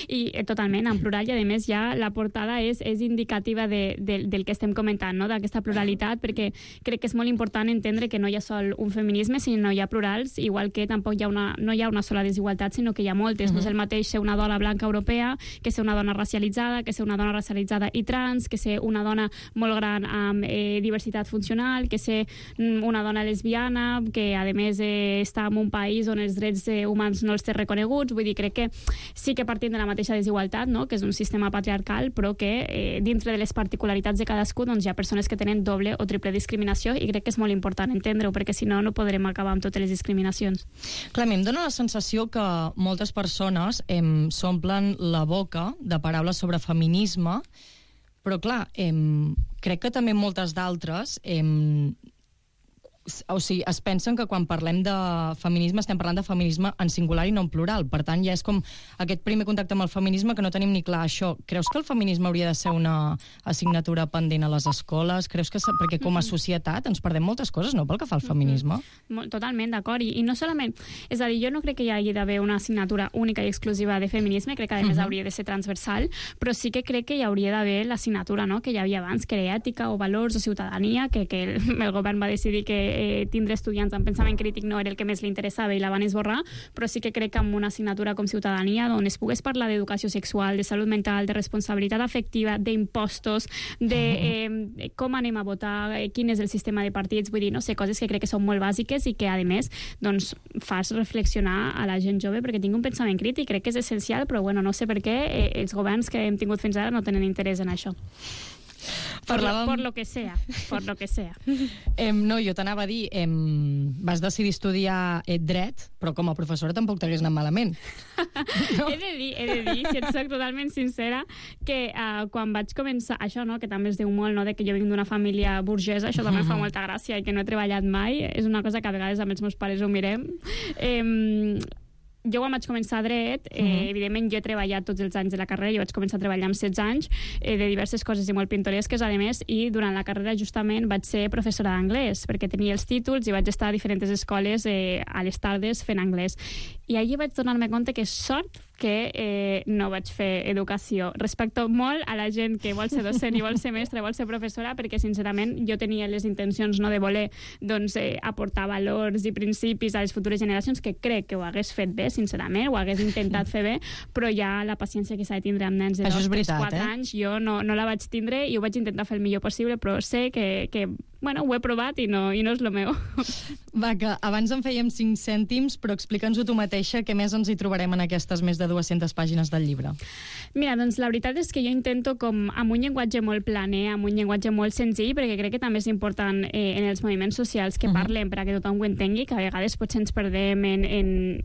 I totalment, en plural, i a més ja la portada és indicativa del que estem comentant, no? D'aquesta pluralitat, perquè crec que és molt important entendre que no hi ha sol un feminisme, sinó hi ha plurals, igual que tampoc no hi ha una sola desigualtat, sinó que hi ha moltes. No és el mateix ser una dona blanca europea que ser una dona racialitzada, que ser una dona racialitzada i trans, que ser una dona molt gran amb diversitat funcional, que ser una dona lesbiana, que a més està en un país on els drets humans no els té reconeguts. Vull dir, crec que sí que partim de la mateixa desigualtat, no? Que és un sistema patriarcal, però que dintre de les particularitats de cadascú hi ha persones que tenen doble o triple discriminació i crec que és molt important entendre-ho, perquè si no, no podrem acabar amb totes les discriminacions. Clar, a mi em dóna la sensació que moltes persones s'omplen la boca de paraules sobre feminisme, però clar, crec que també moltes d'altres es pensen que quan parlem de feminisme estem parlant de feminisme en singular i no en plural. Per tant, ja és com aquest primer contacte amb el feminisme que no tenim ni clar això. Creus que el feminisme hauria de ser una assignatura pendent a les escoles? Creus que... Perquè com a societat ens perdem moltes coses, no?, pel que fa al feminisme. Totalment, d'acord. I no solament... És a dir, jo no crec que hi hagi d'haver una assignatura única i exclusiva de feminisme, crec que a més hauria de ser transversal, però sí que crec que hi hauria d'haver l'assignatura, no?, que hi havia abans, que era ètica o valors o ciutadania, que el govern va decidir que tindre estudiants amb pensament crític no era el que més li interessava i la van esborrar, però sí que crec que amb una assignatura com ciutadania, on es pogués parlar d'educació sexual, de salut mental, de responsabilitat afectiva, d'impostos, de com anem a votar, quin és el sistema de partits, vull dir, no sé, coses que crec que són molt bàsiques i que, a més, doncs, fas reflexionar a la gent jove perquè tinc un pensament crític, crec que és essencial, però bueno, no sé per què els governs que hem tingut fins ara no tenen interès en això. Por lo que sea. No, jo t'anava a dir, vas decidir estudiar dret, però com a professora tampoc t'hagués anat malament. No? He de dir, si et soc totalment sincera, que quan vaig començar, això, no, que també es diu molt, no, de que jo vinc d'una família burgesa, això també fa molta gràcia i que no he treballat mai, és una cosa que a vegades amb els meus pares ho mirem. Jo quan vaig començar dret, evidentment jo he treballat tots els anys de la carrera, jo vaig començar a treballar amb 16 anys, de diverses coses i molt pintoresques, a més, i durant la carrera justament vaig ser professora d'anglès, perquè tenia els títols i vaig estar a diferents escoles a les tardes fent anglès. I allí vaig donar-me compte que sort que no vaig fer educació. Respecto molt a la gent que vol ser docent i vol ser mestra, vol ser professora, perquè sincerament jo tenia les intencions no de voler aportar valors i principis a les futures generacions, que crec que ho hagués fet bé, sincerament, ho hagués intentat fer bé, però ja la paciència que s'ha de tindre amb nens de 2, 3, 4 anys, jo no la vaig tindre i ho vaig intentar fer el millor possible, però sé que bueno, ho he provat i no és el meu. Va, que abans en fèiem 5 cèntims, però explica'ns-ho tu mateixa, què més ens hi trobarem en aquestes més de 200 pàgines del llibre? Mira, doncs la veritat és que jo intento com amb un llenguatge molt planer, amb un llenguatge molt senzill, perquè crec que també és important en els moviments socials que parlem per a que tothom ho entengui, que a vegades potser ens perdem en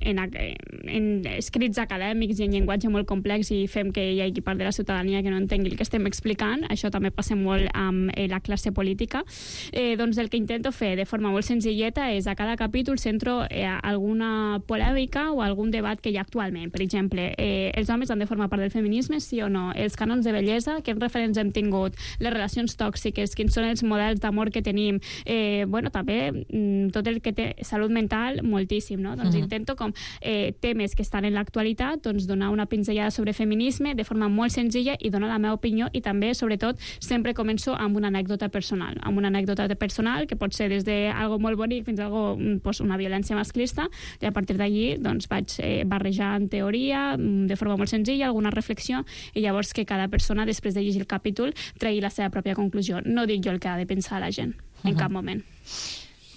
escrits acadèmics i en llenguatge molt complex i fem que hi hagi part de la ciutadania que no entengui el que estem explicant. Això també passa molt amb la classe política. Doncs el que intento fer de forma molt senzilleta és a cada capítol centro alguna polèmica o algun debat que hi ha actualment. Per exemple, els homes han de formar part del feminisme, sí o no? Els cànons de bellesa, quins referents hem tingut? Les relacions tòxiques, quins són els models d'amor que tenim? També tot el que té salut mental, moltíssim, no? Doncs intento com temes que estan en l'actualitat, doncs donar una pinzellada sobre feminisme de forma molt senzilla i donar la meva opinió i també, sobretot, sempre començo amb una anècdota personal, personal, que pot ser des d'algo molt bonic fins a una violència masclista, i a partir d'allí doncs, vaig barrejant teoria de forma molt senzilla, alguna reflexió, i llavors que cada persona, després de llegir el capítol, tregui la seva pròpia conclusió. No dic jo el que ha de pensar la gent, en cap moment.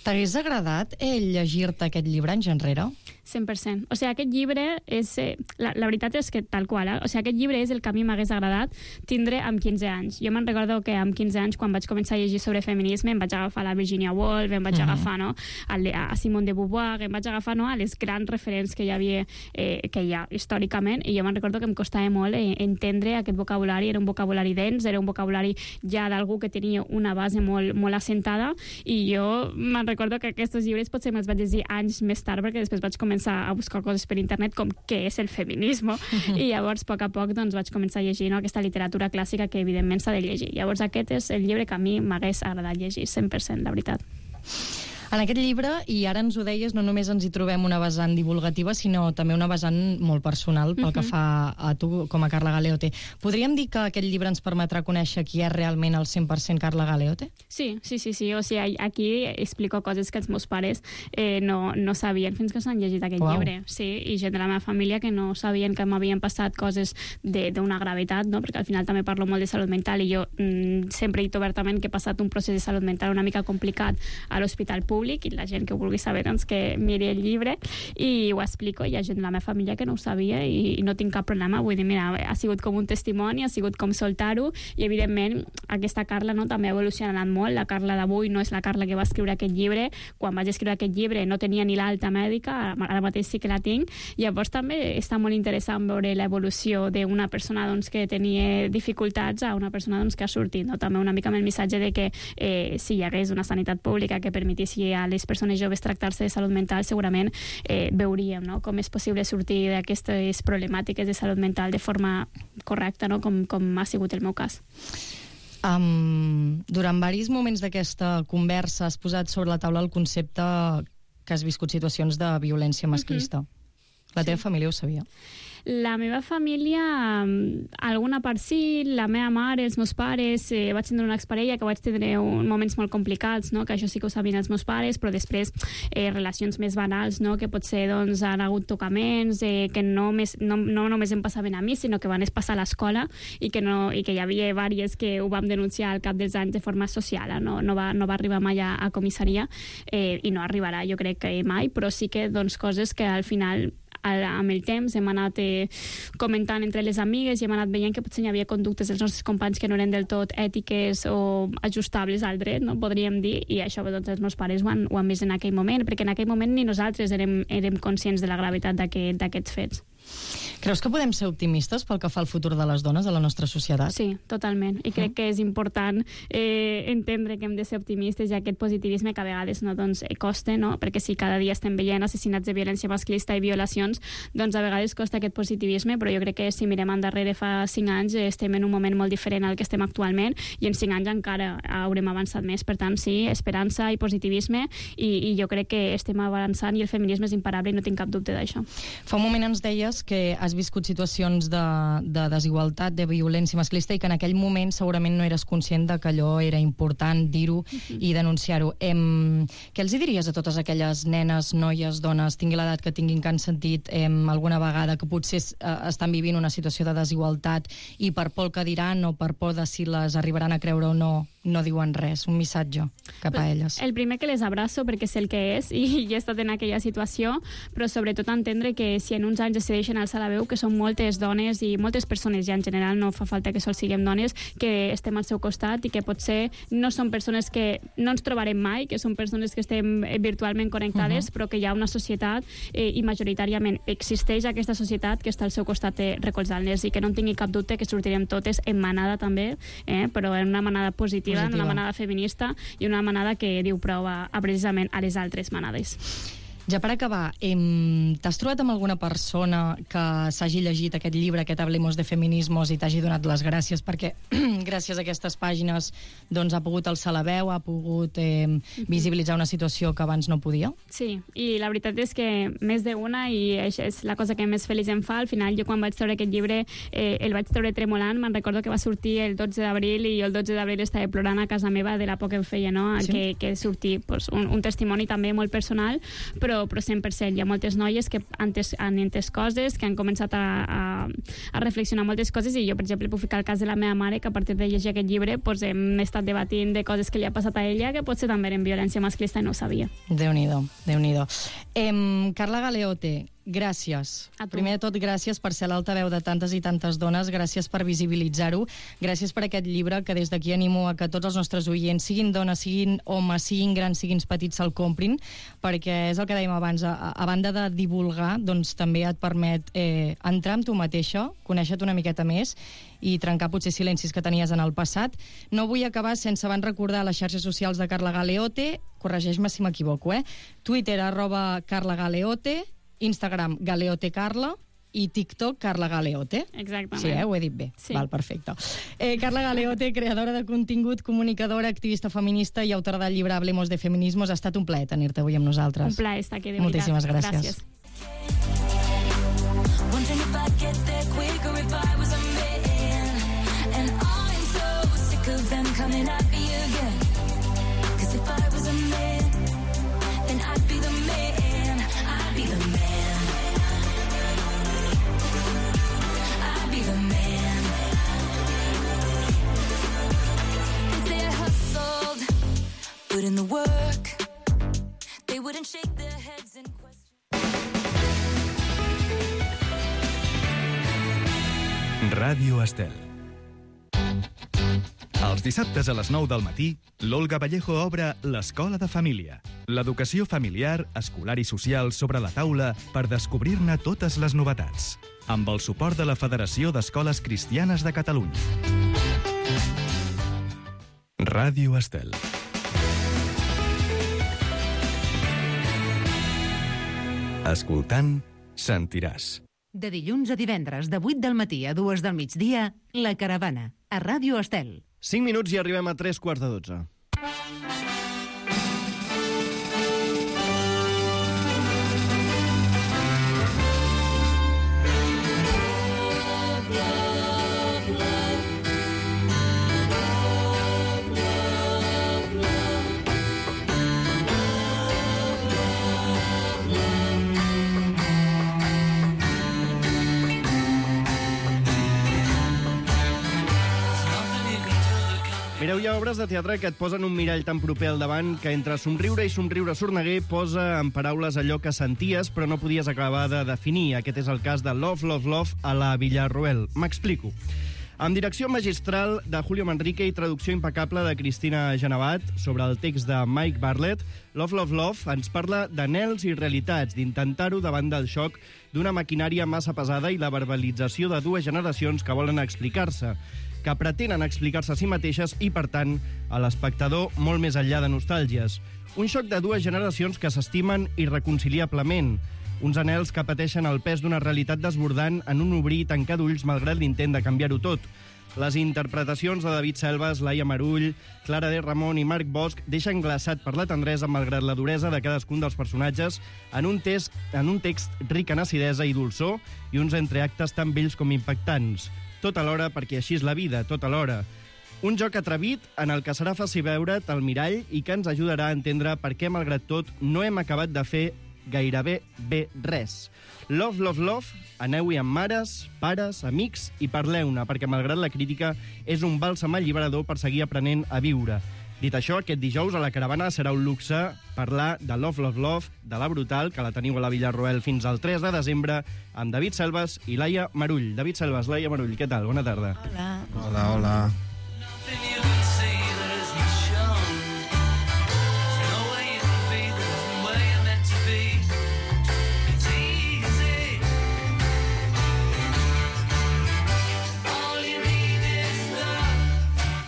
T'hagués agradat llegir-te aquest llibre anys enrere? 100%. O sigui, aquest llibre és... La veritat és que tal qual, O sigui, aquest llibre és el que a mi m'hagués agradat tindre amb 15 anys. Jo me'n recordo que amb 15 anys, quan vaig començar a llegir sobre feminisme, em vaig agafar la Virginia Woolf, em vaig agafar a Simone de Beauvoir, em vaig agafar a les grans referents que hi havia, que hi ha històricament, i jo me'n recordo que em costava molt entendre aquest vocabulari. Era un vocabulari dens, era un vocabulari ja d'algú que tenia una base molt assentada, i jo me'n recordo que aquests llibres potser me'ls vaig llegir anys més tard, perquè després vaig començar a buscar coses per internet com què és el feminisme, i llavors a poc doncs, vaig començar a llegir aquesta literatura clàssica que evidentment s'ha de llegir. Llavors aquest és el llibre que a mi m'hagués agradat llegir 100%, la veritat. En aquest llibre, i ara ens ho deies, no només ens hi trobem una vessant divulgativa, sinó també una vessant molt personal pel que fa a tu com a Carla Galeote. Podríem dir que aquest llibre ens permetrà conèixer qui és realment el 100% Carla Galeote? Sí. O sigui, aquí explico coses que els meus pares no sabien fins que s'han llegit aquest llibre. Sí, i gent de la meva família que no sabien que m'havien passat coses d'una gravetat, no? Perquè al final també parlo molt de salut mental, i jo sempre he dit obertament que he passat un procés de salut mental una mica complicat a l'hospital públic, i la gent que ho vulgui saber doncs que miri el llibre, i ho explico. Hi ha gent de la meva família que no ho sabia i no tinc cap problema. Vull dir, mira, ha sigut com un testimoni, ha sigut com soltar-ho, i evidentment aquesta Carla també ha evolucionat molt. La Carla d'avui no és la Carla que va escriure aquest llibre. Quan vaig escriure aquest llibre no tenia ni l'alta mèdica, ara mateix sí que la tinc. Llavors també està molt interessant veure l'evolució d'una persona que tenia dificultats a una persona que ha sortit. També una mica amb el missatge de que si hi hagués una sanitat pública que permetissi a les persones joves tractar-se de salut mental, segurament veuríem com és possible sortir d'aquestes problemàtiques de salut mental de forma correcta, com ha sigut el meu cas. Durant diversos moments d'aquesta conversa has posat sobre la taula el concepte que has viscut situacions de violència masclista. La teva família ho sabia? La meva família, alguna part sí, la meva mare, els meus pares, vaig tindre una exparella que vaig tindre moments molt complicats, que això sí que ho sabien els meus pares, però després relacions més banals, que potser han hagut tocaments, que no només em passaven a mi, sinó que van passar a l'escola, i que hi havia diverses que ho vam denunciar al cap dels anys de forma social. No va arribar mai a comissaria, i no arribarà, jo crec que mai, però sí que coses que al final amb el temps hem anat comentant entre les amigues i hem anat veient que potser hi havia conductes dels nostres companys que no eren del tot ètiques o ajustables al dret, podríem dir, i això els meus pares ho han vist en aquell moment, perquè en aquell moment ni nosaltres érem conscients de la gravetat d'aquests fets. Creus que podem ser optimistes pel que fa al futur de les dones de la nostra societat? Sí, totalment. I crec que és important entendre que hem de ser optimistes, i aquest positivisme que a vegades costa, perquè si cada dia estem veient assassinats de violència masclista i violacions, a vegades costa aquest positivisme, però jo crec que si mirem endarrere fa 5 anys estem en un moment molt diferent al que estem actualment, i en 5 anys encara haurem avançat més. Per tant, sí, esperança i positivisme, i jo crec que estem avançant i el feminisme és imparable i no tinc cap dubte d'això. Fa un moment ens deies que has viscut situacions de desigualtat, de violència masclista, i que en aquell moment segurament no eres conscient de que allò era important dir-ho i denunciar-ho. Què els diries a totes aquelles nenes, noies, dones, tingui l'edat que tinguin, que han sentit alguna vegada que potser estan vivint una situació de desigualtat i per por que diran o per por de si les arribaran a creure o no diuen res, un missatge cap a elles? El primer, que les abraço perquè sé el que és i he estat en aquella situació, però sobretot entendre que si en uns anys decideixen alçar la veu, que són moltes dones i moltes persones, ja en general no fa falta que sols siguem dones, que estem al seu costat i que potser no són persones que no ens trobarem mai, que són persones que estem virtualment connectades, però que hi ha una societat i majoritàriament existeix aquesta societat que està al seu costat recolzant-les, i que no en tingui cap dubte que sortirem totes en manada també, però en una manada positiva, en una manada feminista i una manada que diu prou precisament a les altres manades. Ja per acabar, t'has trobat amb alguna persona que s'hagi llegit aquest llibre, aquest Hablemos de Feminismos, i t'hagi donat les gràcies perquè gràcies a aquestes pàgines ha pogut alçar la veu, ha pogut visibilitzar una situació que abans no podia? Sí, i la veritat és que més d'una, i això és la cosa que més feliç em fa. Al final, jo quan vaig treure aquest llibre el vaig treure tremolant. Me'n recordo que va sortir el 12 d'abril i el 12 d'abril estava plorant a casa meva de la por que em feia, que sortir un testimoni també molt personal, però però 100%. Hi ha moltes noies que han entès coses, que han començat a reflexionar moltes coses, i jo, per exemple, puc ficar el cas de la meva mare, que a partir de llegir aquest llibre hem estat debatint de coses que li ha passat a ella, que potser també eren violència masclista i no ho sabia. Déu-n'hi-do, Déu-n'hi-do. Carla Galeote, gràcies. Primer de tot, gràcies per ser l'altaveu de tantes i tantes dones, gràcies per visibilitzar-ho, gràcies per aquest llibre, que des d'aquí animo a que tots els nostres oients, siguin dones, siguin homes, siguin grans, siguin petits, se'l comprin, perquè és el que dèiem abans, a banda de divulgar, doncs també et permet entrar amb tu mateixa, conèixer-te una miqueta més i trencar potser silencis que tenies en el passat. No vull acabar sense abans recordar les xarxes socials de Carla Galeote, corregeix-me si m'equivoco, Twitter, @CarlaGaleote, Instagram, GaleoteCarla, i TikTok, Carla Galeote. Exactament. Sí, ho he dit bé. Sí. Val, perfecte. Carla Galeote, creadora de contingut, comunicadora, activista feminista i autora del llibre Hablemos de Feminismos. Ha estat un plaer tenir-te avui amb nosaltres. Un plaer estar aquí, de veritat. Moltíssimes gràcies. Gràcies. Put in the work, they wouldn't shake their heads in question. Ràdio Estel. Els dissabtes a les 9 del matí, l'Olga Vallejo obre l'Escola de Família. L'educació familiar, escolar i social sobre la taula per descobrir-ne totes les novetats. Amb el suport de la Federació d'Escoles Cristianes de Catalunya. Ràdio Estel. Escoltant, sentiràs. De dilluns a divendres, de 8 del matí a 2 del migdia, La Caravana, a Ràdio Estel. 5 minuts i arribem a 3:15. Mireu, hi ha obres de teatre que et posen un mirall tan proper al davant que entre somriure i somriure sorneguer posa en paraules allò que senties però no podies acabar de definir. Aquest és el cas de Love, Love, Love a la Villarroel. M'explico. Amb direcció magistral de Julio Manrique i traducció impecable de Cristina Genevat sobre el text de Mike Bartlett, Love, Love, Love ens parla d'anhels i realitats, d'intentar-ho davant del xoc d'una maquinària massa pesada i la verbalització de dues generacions que volen explicar-se, que pretenen explicar-se a si mateixes i, per tant, a l'espectador molt més enllà de nostàlgies. Un xoc de dues generacions que s'estimen irreconciliablement, uns anhels que pateixen el pes d'una realitat desbordant en un obrir i tancar d'ulls malgrat l'intent de canviar-ho tot. Les interpretacions de David Selves, Laia Marull, Clara de Ramon i Marc Bosch deixen glaçat per la tendresa malgrat la duresa de cadascun dels personatges en un text ric en acidesa i dolçor i uns entreactes tan bells com impactants. Tot alhora, perquè així és la vida, tot alhora. Un joc atrevit en el que serà fàcil veure't al mirall i que ens ajudarà a entendre per què, malgrat tot, no hem acabat de fer gairebé bé res. Love, Love, Love, aneu-hi amb mares, pares, amics i parleu-ne, perquè malgrat la crítica és un bàlsam alliberador per seguir aprenent a viure. Dit això, aquest dijous a la Caravana serà un luxe parlar de Love, Love, Love, de La Brutal, que la teniu a la Villarroel fins al 3 de desembre, amb David Selves i Laia Marull. David Selves, Laia Marull, què tal? Bona tarda. Hola. Hola, hola.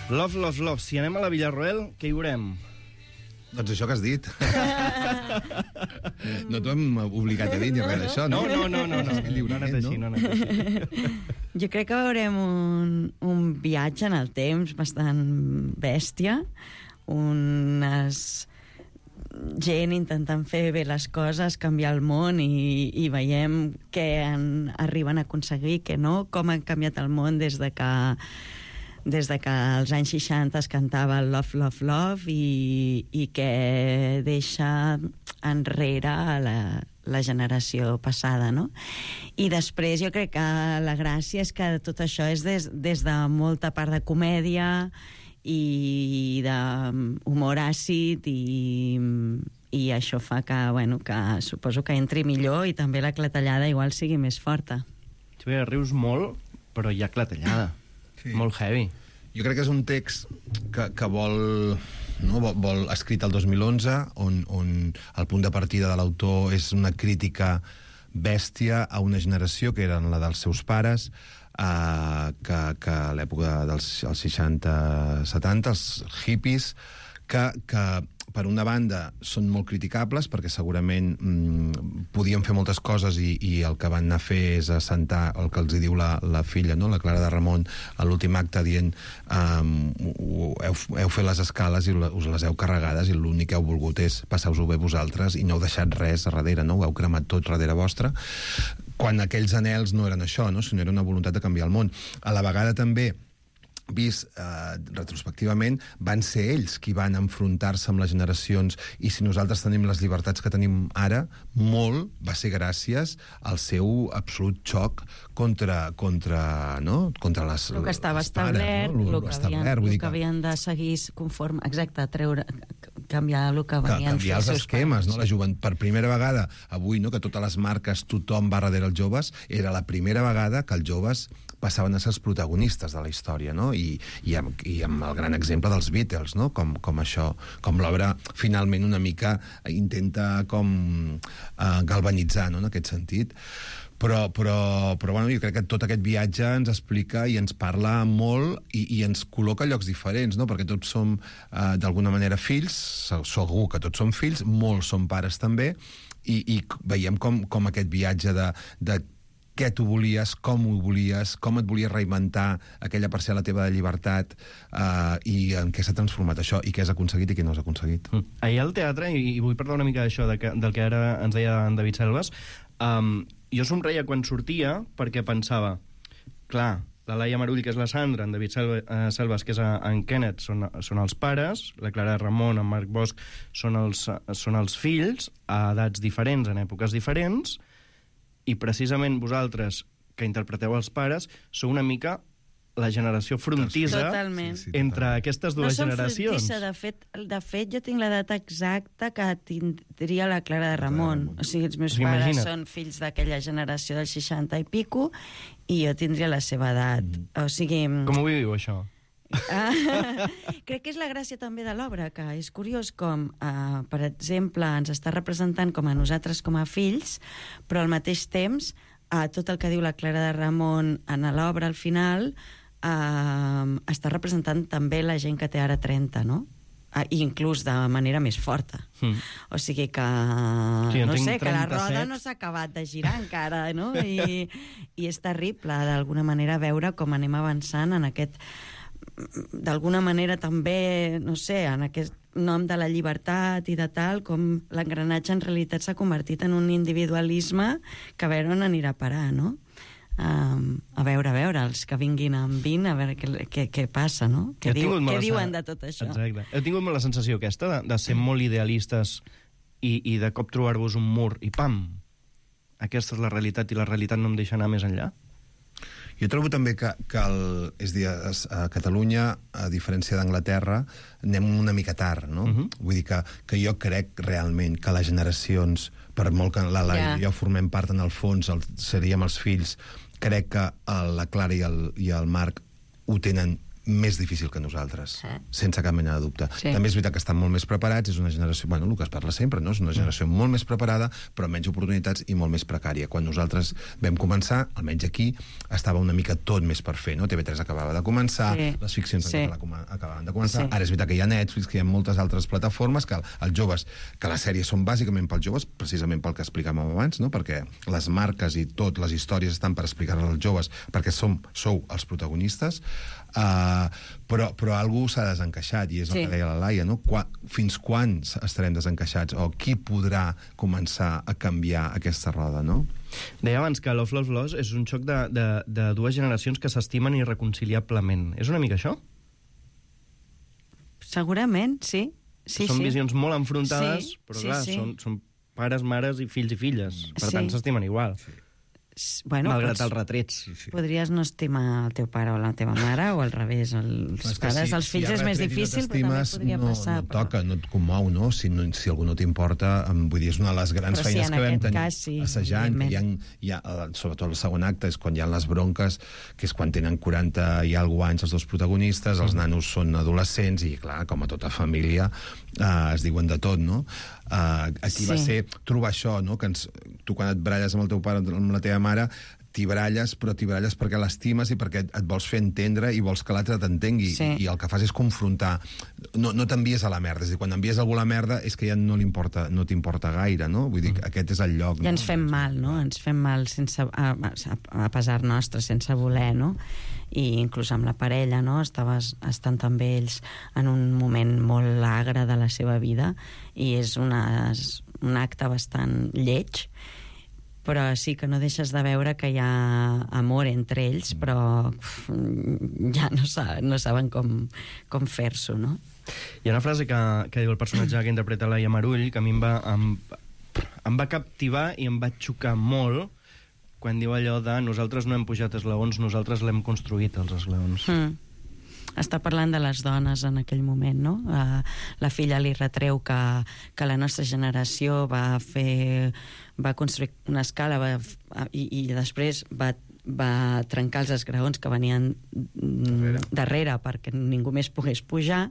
Love, Love, Love. Si anem a la Villarroel, què hi veurem? Doncs això que has dit. No t'ho hem obligat a dir ni res d'això, no? No ha anat així, no ha anat així. Jo crec que veurem un viatge en el temps bastant bèstia, gent intentant fer bé les coses, canviar el món i veiem què arriben a aconseguir, què no, com ha canviat el món des de que als anys 60 es cantava el Love, Love, Love i que deixa enrere a la generació passada, no? I després jo crec que la gràcia és que tot això és des de molta part de comèdia i d'humor àcid i això fa que, bueno, que suposo que entri millor i també la clatellada igual sigui més forta. Sí, rius molt, però hi ha clatellada. Sí. Molt heavy. Jo crec que és un text que vol escrit el 2011, on el punt de partida de l'autor és una crítica bèstia a una generació que eren la dels seus pares, que a l'època dels 60-70, els hippies, que per una banda són molt criticables perquè segurament podien fer moltes coses i el que van anar a fer és assentar el que els hi diu la filla, no? La Clara de Ramon, a l'últim acte dient heu fet les escales i us les heu carregades i l'únic que heu volgut és passar-vos-ho bé vosaltres i no heu deixat res a darrere, no? Ho heu cremat tot darrere vostre, quan aquells anhels no eren això, no? Sinó era una voluntat de canviar el món. A la vegada també vist retrospectivament, van ser ells qui van enfrontar-se amb les generacions, i si nosaltres tenim les llibertats que tenim ara, molt va ser gràcies al seu absolut xoc contra les... El que estava establert, no? el que havien de seguir conforme... Exacte, canviar el que venien canviar els esquemes, no? La joventut, per primera vegada, avui, no, que totes les marques, tothom va darrere els joves, era la primera vegada que els joves passaven a ser els protagonistes de la història, no? I amb el gran exemple dels Beatles, no? Com això, com l'obra finalment una mica intenta com galvanitzar, no? En aquest sentit. Però bueno, jo crec que tot aquest viatge ens explica i ens parla molt i ens col·loca a llocs diferents, no? Perquè tots som d'alguna manera fills, segur que tots som fills, molts som pares també, i veiem com aquest viatge de què tu volies, com ho volies, com et volies reinventar aquella parcel·la teva de llibertat, i en què s'ha transformat això, i què has aconseguit i què no has aconseguit. Ahir al teatre, i vull parlar una mica d'això, del que ara ens deia en David Selves, jo somreia quan sortia perquè pensava, clar, la Laia Marull, que és la Sandra, en David Selves, que és en Kenneth, són els pares, la Clara Ramon, en Marc Bosch, són els fills, a edats diferents, en èpoques diferents, i precisament vosaltres, que interpreteu els pares, sou una mica la generació frontissa entre aquestes dues generacions. No som frontissa, de fet jo tinc l'edat exacta que tindria la Clara de Ramon. O sigui, els meus pares són fills d'aquella generació del 60 i pico, i jo tindria la seva edat. O sigui... Com ho viu, això? Crec que és la gràcia també de l'obra, que és curiós com, per exemple, ens està representant com a nosaltres com a fills, però al mateix temps tot el que diu la Clara de Ramon en l'obra al final està representant també la gent que té ara 30, no? I inclús de manera més forta. O sigui que, no sé, que la roda no s'ha acabat de girar encara, no? I és terrible, d'alguna manera, veure com anem avançant en aquest... d'alguna manera també, no sé, en aquest nom de la llibertat i de tal, com l'engranatge en realitat s'ha convertit en un individualisme que a veure on anirà a parar, no? A veure, els que vinguin amb 20, a veure què passa, no? Què diuen de tot això? Exacte. Heu tingut molt la sensació aquesta de ser molt idealistes i de cop trobar-vos un mur i pam! Aquesta és la realitat i la realitat no em deixa anar més enllà? Jo trobo també que a Catalunya, a diferència d'Anglaterra, anem una mica tard, no? Vull dir que jo crec realment que les generacions, per molt que la Laia i jo formem part en el fons, seríem els fills, crec que la Clara i el Marc ho tenen més difícil que nosaltres, sense cap mena de dubte. També és veritat que estan molt més preparats, és una generació, bueno, el que es parla sempre, no? És una generació molt més preparada, però amb menys oportunitats i molt més precària. Quan nosaltres vam començar, almenys aquí, estava una mica tot més per fer, no? TV3 acabava de començar, les ficcions acabaven de començar, ara és veritat que hi ha Netflix, que hi ha moltes altres plataformes, que els joves, que les sèries són bàsicament pels joves, precisament pel que explicàvem abans, no? Perquè les marques i tot, les històries estan per explicar-les als joves, perquè sou els protagonistes, però algú s'ha desencaixat, i és el que deia la Laia, no? Fins quan estarem desencaixats, o qui podrà començar a canviar aquesta roda, no? Deia abans que Love, Love, Lost és un xoc de dues generacions que s'estimen irreconciliablement. És una mica això? Segurament, sí. són visions molt enfrontades, però clar, sí. són pares, mares i fills i filles. Per tant, s'estimen igual. Bueno, malgrat els retrets. Podries no estimar el teu pare o la teva mare, o al revés, els pares, els fills és més difícil, però també podria passar. No toca, no et comou, no? Si algú no t'importa, vull dir, és una de les grans feines que vam tenir assajant, que hi ha, sobretot el segon acte, és quan hi ha les bronques, que és quan tenen 40 i alguna anys els dos protagonistes, els nanos són adolescents, i clar, com a tota família, es diuen de tot, no? Aquí va ser trobar això, no? Que tu quan et baralles amb el teu pare o amb la teva mare, t'hi baralles, però t'hi baralles perquè l'estimes i perquè et vols fer entendre i vols que l'altre t'entengui. I el que fas és confrontar. No t'envies a la merda. És a dir, quan envies algú a la merda és que ja no t'importa gaire, no? Vull dir, aquest és el lloc. I ens fem mal, no? Ens fem mal a pesar nostre, sense voler, no? I inclús amb la parella, no? Estan també ells en un moment molt agre de la seva vida i és un acte bastant lleig, però sí que no deixes de veure que hi ha amor entre ells, però ja no saben com fer-s'ho, no? Hi ha una frase que diu el personatge que interpreta Laia Marull, que a mi em va captivar i em va xocar molt, quan diu allò de nosaltres no hem pujat esglaons, nosaltres l'hem construït, els esglaons. Està parlant de les dones en aquell moment, no? La filla li retreu que la nostra generació va construir una escala i després va trencar els esgraons que venien darrere perquè ningú més pogués pujar.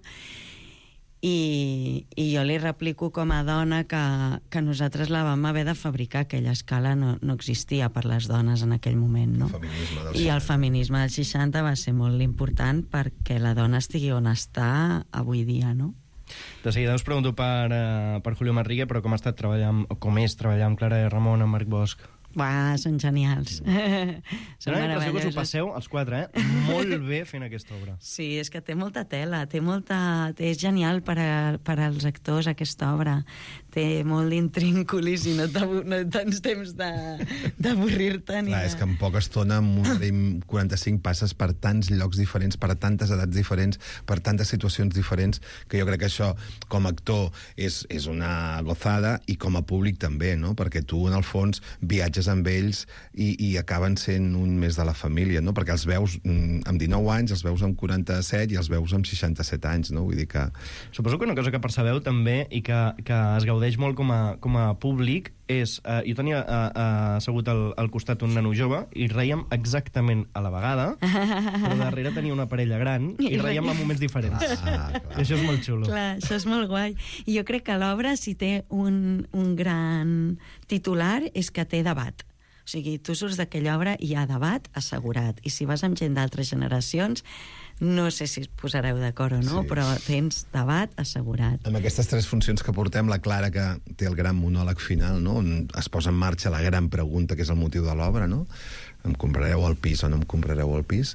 I jo li replico com a dona que nosaltres la vam haver de fabricar, aquella escala no existia per les dones en aquell moment, no? I el feminisme dels 60 va ser molt important perquè la dona estigui on està avui dia, no? De seguida us pregunto per Julio Manrique, però com ha estat treballant, o com és treballar amb Clara Ramon, amb Marc Bosch? Són genials. Són la impressió que us ho passeu, els quatre, molt bé fent aquesta obra. Sí, és que té molta tela, és genial per als actors aquesta obra. Té molt d'intrínculis i no tens temps d'avorrir-te. Clar, és que en poca estona, amb una hora i 45, passes per tants llocs diferents, per tantes edats diferents, per tantes situacions diferents, que jo crec que això, com a actor, és una gozada, i com a públic també, no? Perquè tu, en el fons, viatges amb ells i acaben sent un més de la família, no? Perquè els veus amb 19 anys, els veus amb 47 i els veus amb 67 anys, no? Vull dir que... Suposo que una cosa que percebeu també i que es gaudeix molt com a públic és... Jo tenia assegut al costat un nano jove i reiem exactament a la vegada, però darrere tenia una parella gran i reiem en moments diferents. I això és molt xulo. Clar, això és molt guai. I jo crec que l'obra, si té un gran titular, és que té debat. O sigui, tu surts d'aquella obra i hi ha debat assegurat. I si vas amb gent d'altres generacions, no sé si es posareu d'acord o no, però tens debat assegurat. Amb aquestes 3 funcions que portem, la Clara, que té el gran monòleg final, no? On es posa en marxa la gran pregunta, que és el motiu de l'obra, no? Em comprareu el pis o no em comprareu el pis?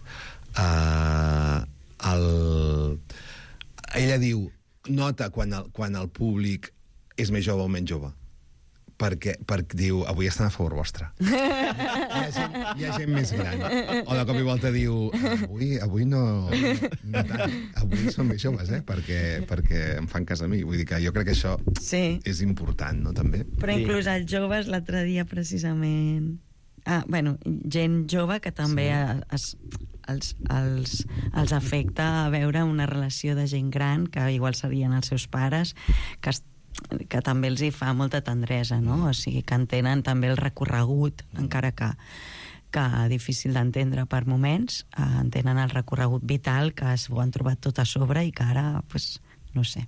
Ella diu, nota quan el públic és més jove o menys jove. Perquè diu, avui estan a favor vostre. Hi ha gent més gran. O de cop i volta diu, avui no tant. Avui són més joves, perquè em fan cas a mi. Vull dir que jo crec que això és important, no, també? Però inclús els joves, l'altre dia, precisament... gent jove que també els afecta a veure una relació de gent gran, que igual serien els seus pares, que també els hi fa molta tendresa, no? O sigui, que entenen també el recorregut, encara que difícil d'entendre per moments, entenen el recorregut vital, que s'ho han trobat tot a sobre i que ara, no sé,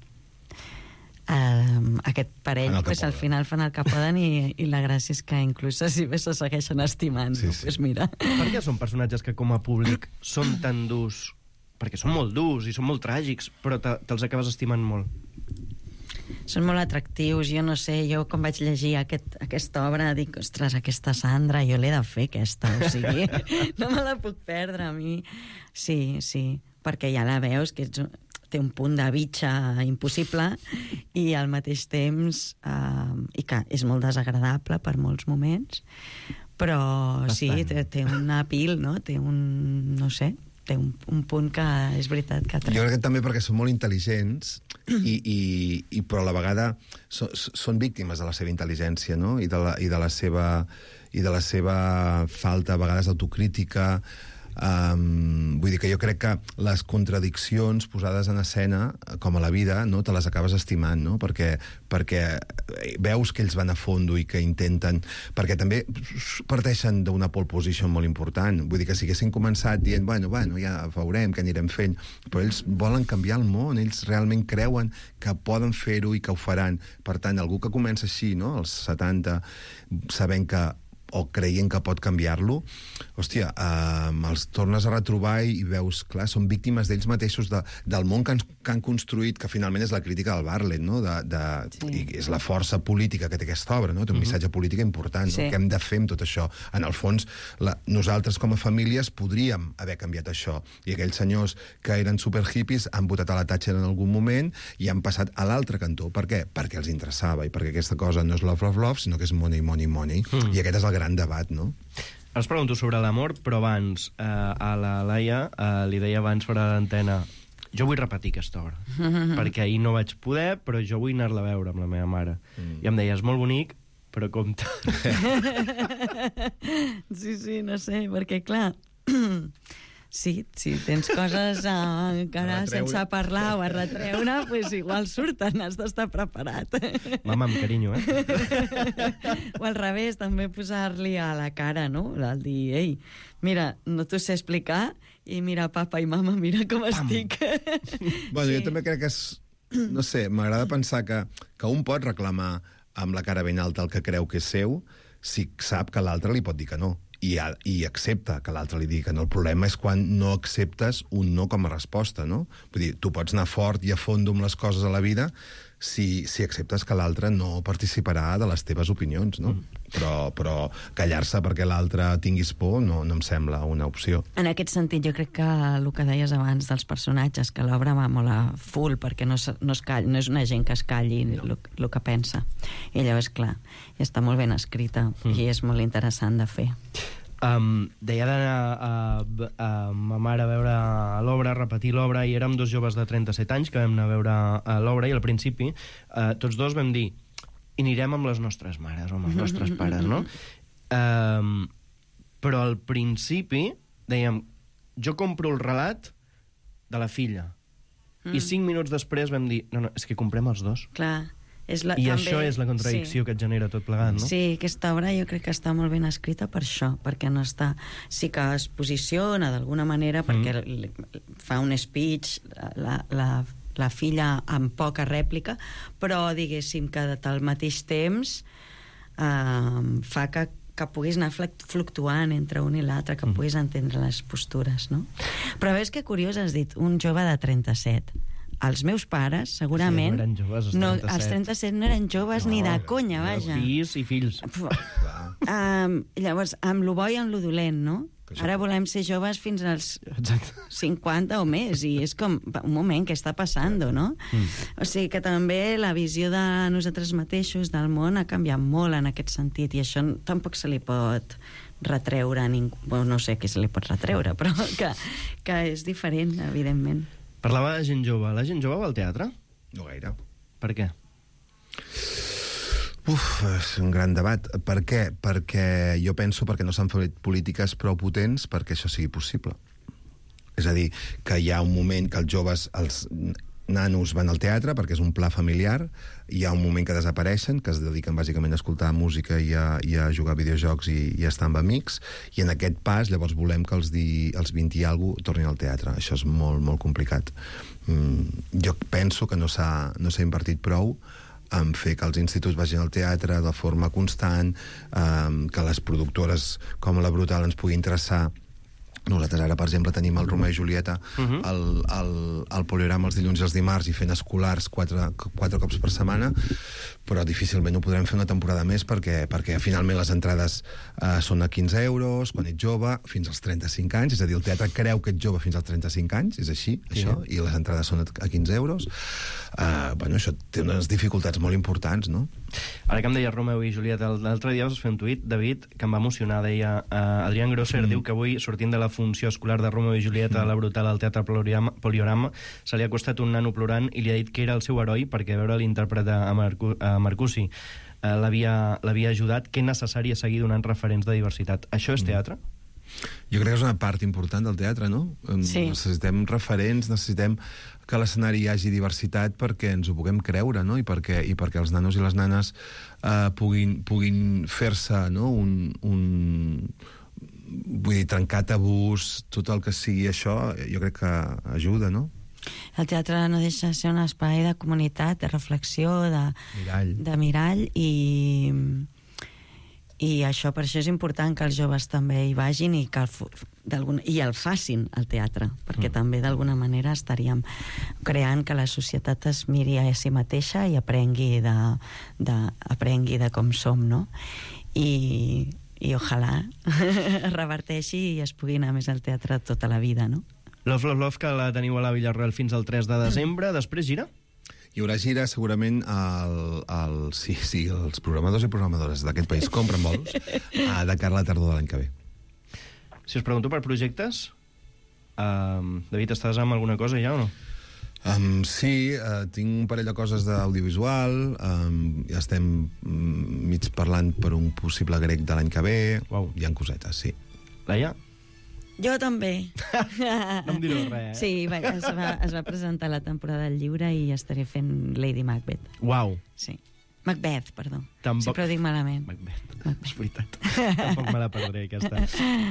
aquest parell al final fan el que poden i la gràcia és que inclús si bé se segueixen estimant. Mira. Per què són personatges que com a públic són tan durs? Perquè són molt durs i són molt tràgics, però te'ls acabes estimant molt. Són molt atractius, jo no sé, jo quan vaig llegir aquesta obra dic, ostres, aquesta Sandra, jo l'he de fer aquesta, o sigui, no me la puc perdre a mi. Sí, perquè ja la veus, que té un punt de bitxa impossible i al mateix temps i que és molt desagradable per molts moments, però sí, té un apil, no? Té té un punt que és veritat que Jo crec que també perquè són molt intel·ligents però a la vegada són víctimes de la seva intel·ligència, no? I de la seva falta, a vegades, d'autocrítica. Vull dir que jo crec que les contradiccions posades en escena, com a la vida, no, te les acabes estimant, no? Perquè veus que ells van a fondo i que intenten... Perquè també parteixen d'una pole position molt important. Vull dir que si haguessin començat dient, bueno, ja veurem què anirem fent, però ells volen canviar el món, ells realment creuen que poden fer-ho i que ho faran. Per tant, algú que comença així, no?, als 70, sabent que o creient que pot canviar-lo, hòstia, els tornes a retrobar i veus, clar, són víctimes d'ells mateixos del món que han construït, que finalment és la crítica del Bartlett, no? I és la força política que té aquesta obra, no? Té un missatge polític important, no? Què hem de fer amb tot això? En el fons, nosaltres com a famílies podríem haver canviat això, i aquells senyors que eren superhippies han votat a la Thatcher en algun moment i han passat a l'altre cantó. Per què? Perquè els interessava, i perquè aquesta cosa no és love, love, love, sinó que és money, money, money. I aquest és el gran debat, no? Us pregunto sobre l'amor, però abans a la Laia li deia abans fora d'antena, jo vull repetir aquesta obra, perquè ahir no vaig poder, però jo vull anar-la a veure amb la meva mare. I em deia, és molt bonic, però compte. Sí, no sé, perquè clar... Sí, si tens coses encara sense parlar o a retreure, doncs igual surten, has d'estar preparat. Mama, amb carinyo, O al revés, també posar-li a la cara, no? El dir, ei, mira, no t'ho sé explicar, i mira, papa i mama, mira com estic. Bueno, jo també crec que és... No sé, m'agrada pensar que un pot reclamar amb la cara ben alta el que creu que és seu, si sap que l'altre li pot dir que no. I accepta que l'altre li digui que no. El problema és quan no acceptes un no com a resposta, no? Vull dir, tu pots anar fort i a fondo amb les coses a la vida si acceptes que l'altre no participarà de les teves opinions, no? Però callar-se perquè l'altre tinguis por no em sembla una opció. En aquest sentit, jo crec que el que deies abans dels personatges, que l'obra va molt a full, perquè no és una gent que es calli el que pensa. I llavors, clar, està molt ben escrita i és molt interessant de fer. Deia d'anar a ma mare a veure l'obra, a repetir l'obra, i érem dos joves de 37 anys que vam anar a veure l'obra, i al principi tots dos vam dir, i anirem amb les nostres mares o amb els nostres pares, no? Però al principi dèiem, jo compro el relat de la filla, i 5 minuts després vam dir, no, és que comprem els dos. Clar. I també, això és la contradicció que et genera tot plegat, no? Sí, aquesta obra jo crec que està molt ben escrita per això, perquè no està... Sí que es posiciona d'alguna manera, perquè fa un speech la filla amb poca rèplica, però diguéssim que al mateix temps fa que puguis anar fluctuant entre un i l'altre, que puguis entendre les postures, no? Però veus que curiós has dit, un jove de 37. Els meus pares, segurament... Sí, no eren joves, els 37 no eren joves ni de conya, vaja. Fills i fills. Llavors, amb lo bo i amb lo dolent, no? Ara volem ser joves fins als 50 o més, i és com, un moment, què està passant, no? O sigui que també la visió de nosaltres mateixos, del món, ha canviat molt en aquest sentit, i això tampoc se li pot retreure a ningú. No sé què se li pot retreure, però que és diferent, evidentment. Parlava de gent jove. La gent jove va al teatre? No gaire. Per què? És un gran debat. Per què? Perquè jo penso perquè no s'han fet polítiques prou potents perquè això sigui possible. És a dir, que hi ha un moment que els joves, els nanos van al teatre perquè és un pla familiar, hi ha un moment que desapareixen, que es dediquen bàsicament a escoltar música i a jugar a videojocs i a estar amb amics, i en aquest pas llavors volem que els 20 i alguna cosa tornin al teatre. Això és molt, molt complicat. Jo penso que no s'ha invertit prou en fer que els instituts vagin al teatre de forma constant, que les productores com la Brutal ens pugui interessar. Nosaltres ara, per exemple, tenim el Romeo i Julieta al Poliorama els dilluns i els dimarts i fent escolars 4 cops per setmana, però difícilment ho podrem fer una temporada més perquè finalment les entrades són a 15 euros, quan ets jove, fins als 35 anys, és a dir, el teatre creu que ets jove fins als 35 anys, és així, això, i les entrades són a 15 euros. Bueno, això té unes dificultats molt importants, no? Ara que em deia Romeu i Julieta, l'altre dia vas fer un tuit, David, que em va emocionar, deia Adrián Grosser diu que avui, sortint de la funció escolar de Romeu i Julieta a la Brutal al Teatre Poliorama, se li ha costat un nano plorant i li ha dit que era el seu heroi perquè veure l'intèrpret a Marcussi l'havia ajudat, que és necessari seguir donant referents de diversitat. Això és teatre? Jo crec que és una part important del teatre, no? Sí. Necessitem referents, necessitem que a l'escenari hi hagi diversitat perquè ens ho puguem creure, no? I perquè els nanos i les nanes puguin fer-se, no? Vull dir, trencar tabús, tot el que sigui això, jo crec que ajuda, no? El teatre no deixa de ser un espai de comunitat, de reflexió, de mirall, i això, per això és important que els joves també hi vagin i el facin, al teatre, perquè també d'alguna manera estaríem creant que la societat es miri a si mateixa i aprengui de com som, no? I ojalà reverteixi i es pugui anar més al teatre tota la vida, no? Love, Love, Love, que la teniu a la Villarroel fins al 3 de desembre. Després gira? Hi haurà gira segurament els programadors i programadores d'aquest país compren bolos de cara a la tardor de l'any que ve. Si us pregunto per projectes, David, estàs amb alguna cosa ja o no? Sí, tinc un parell de coses d'audiovisual, ja estem mig parlant per un possible grec de l'any que ve. Hi ha cosetes, sí. Laia? Jo també. No em direu res, Sí, es va presentar la temporada del llibre i estaré fent Lady Macbeth. Uau. Sí. Macbeth, perdó. Tampoc... Sempre ho dic malament. Macbeth. És veritat. Tampoc me la perdré, aquesta.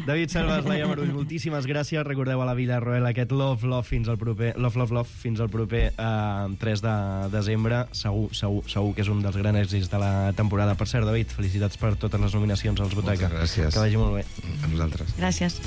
David Selves, Laia Marull, moltíssimes gràcies. Recordeu a la Villarroel aquest Love, Love fins al proper 3 de desembre. Segur que és un dels grans èxits de la temporada. Per cert, David, felicitats per totes les nominacions als Butaca. Moltes gràcies. Que vagi molt bé. A nosaltres. Gràcies.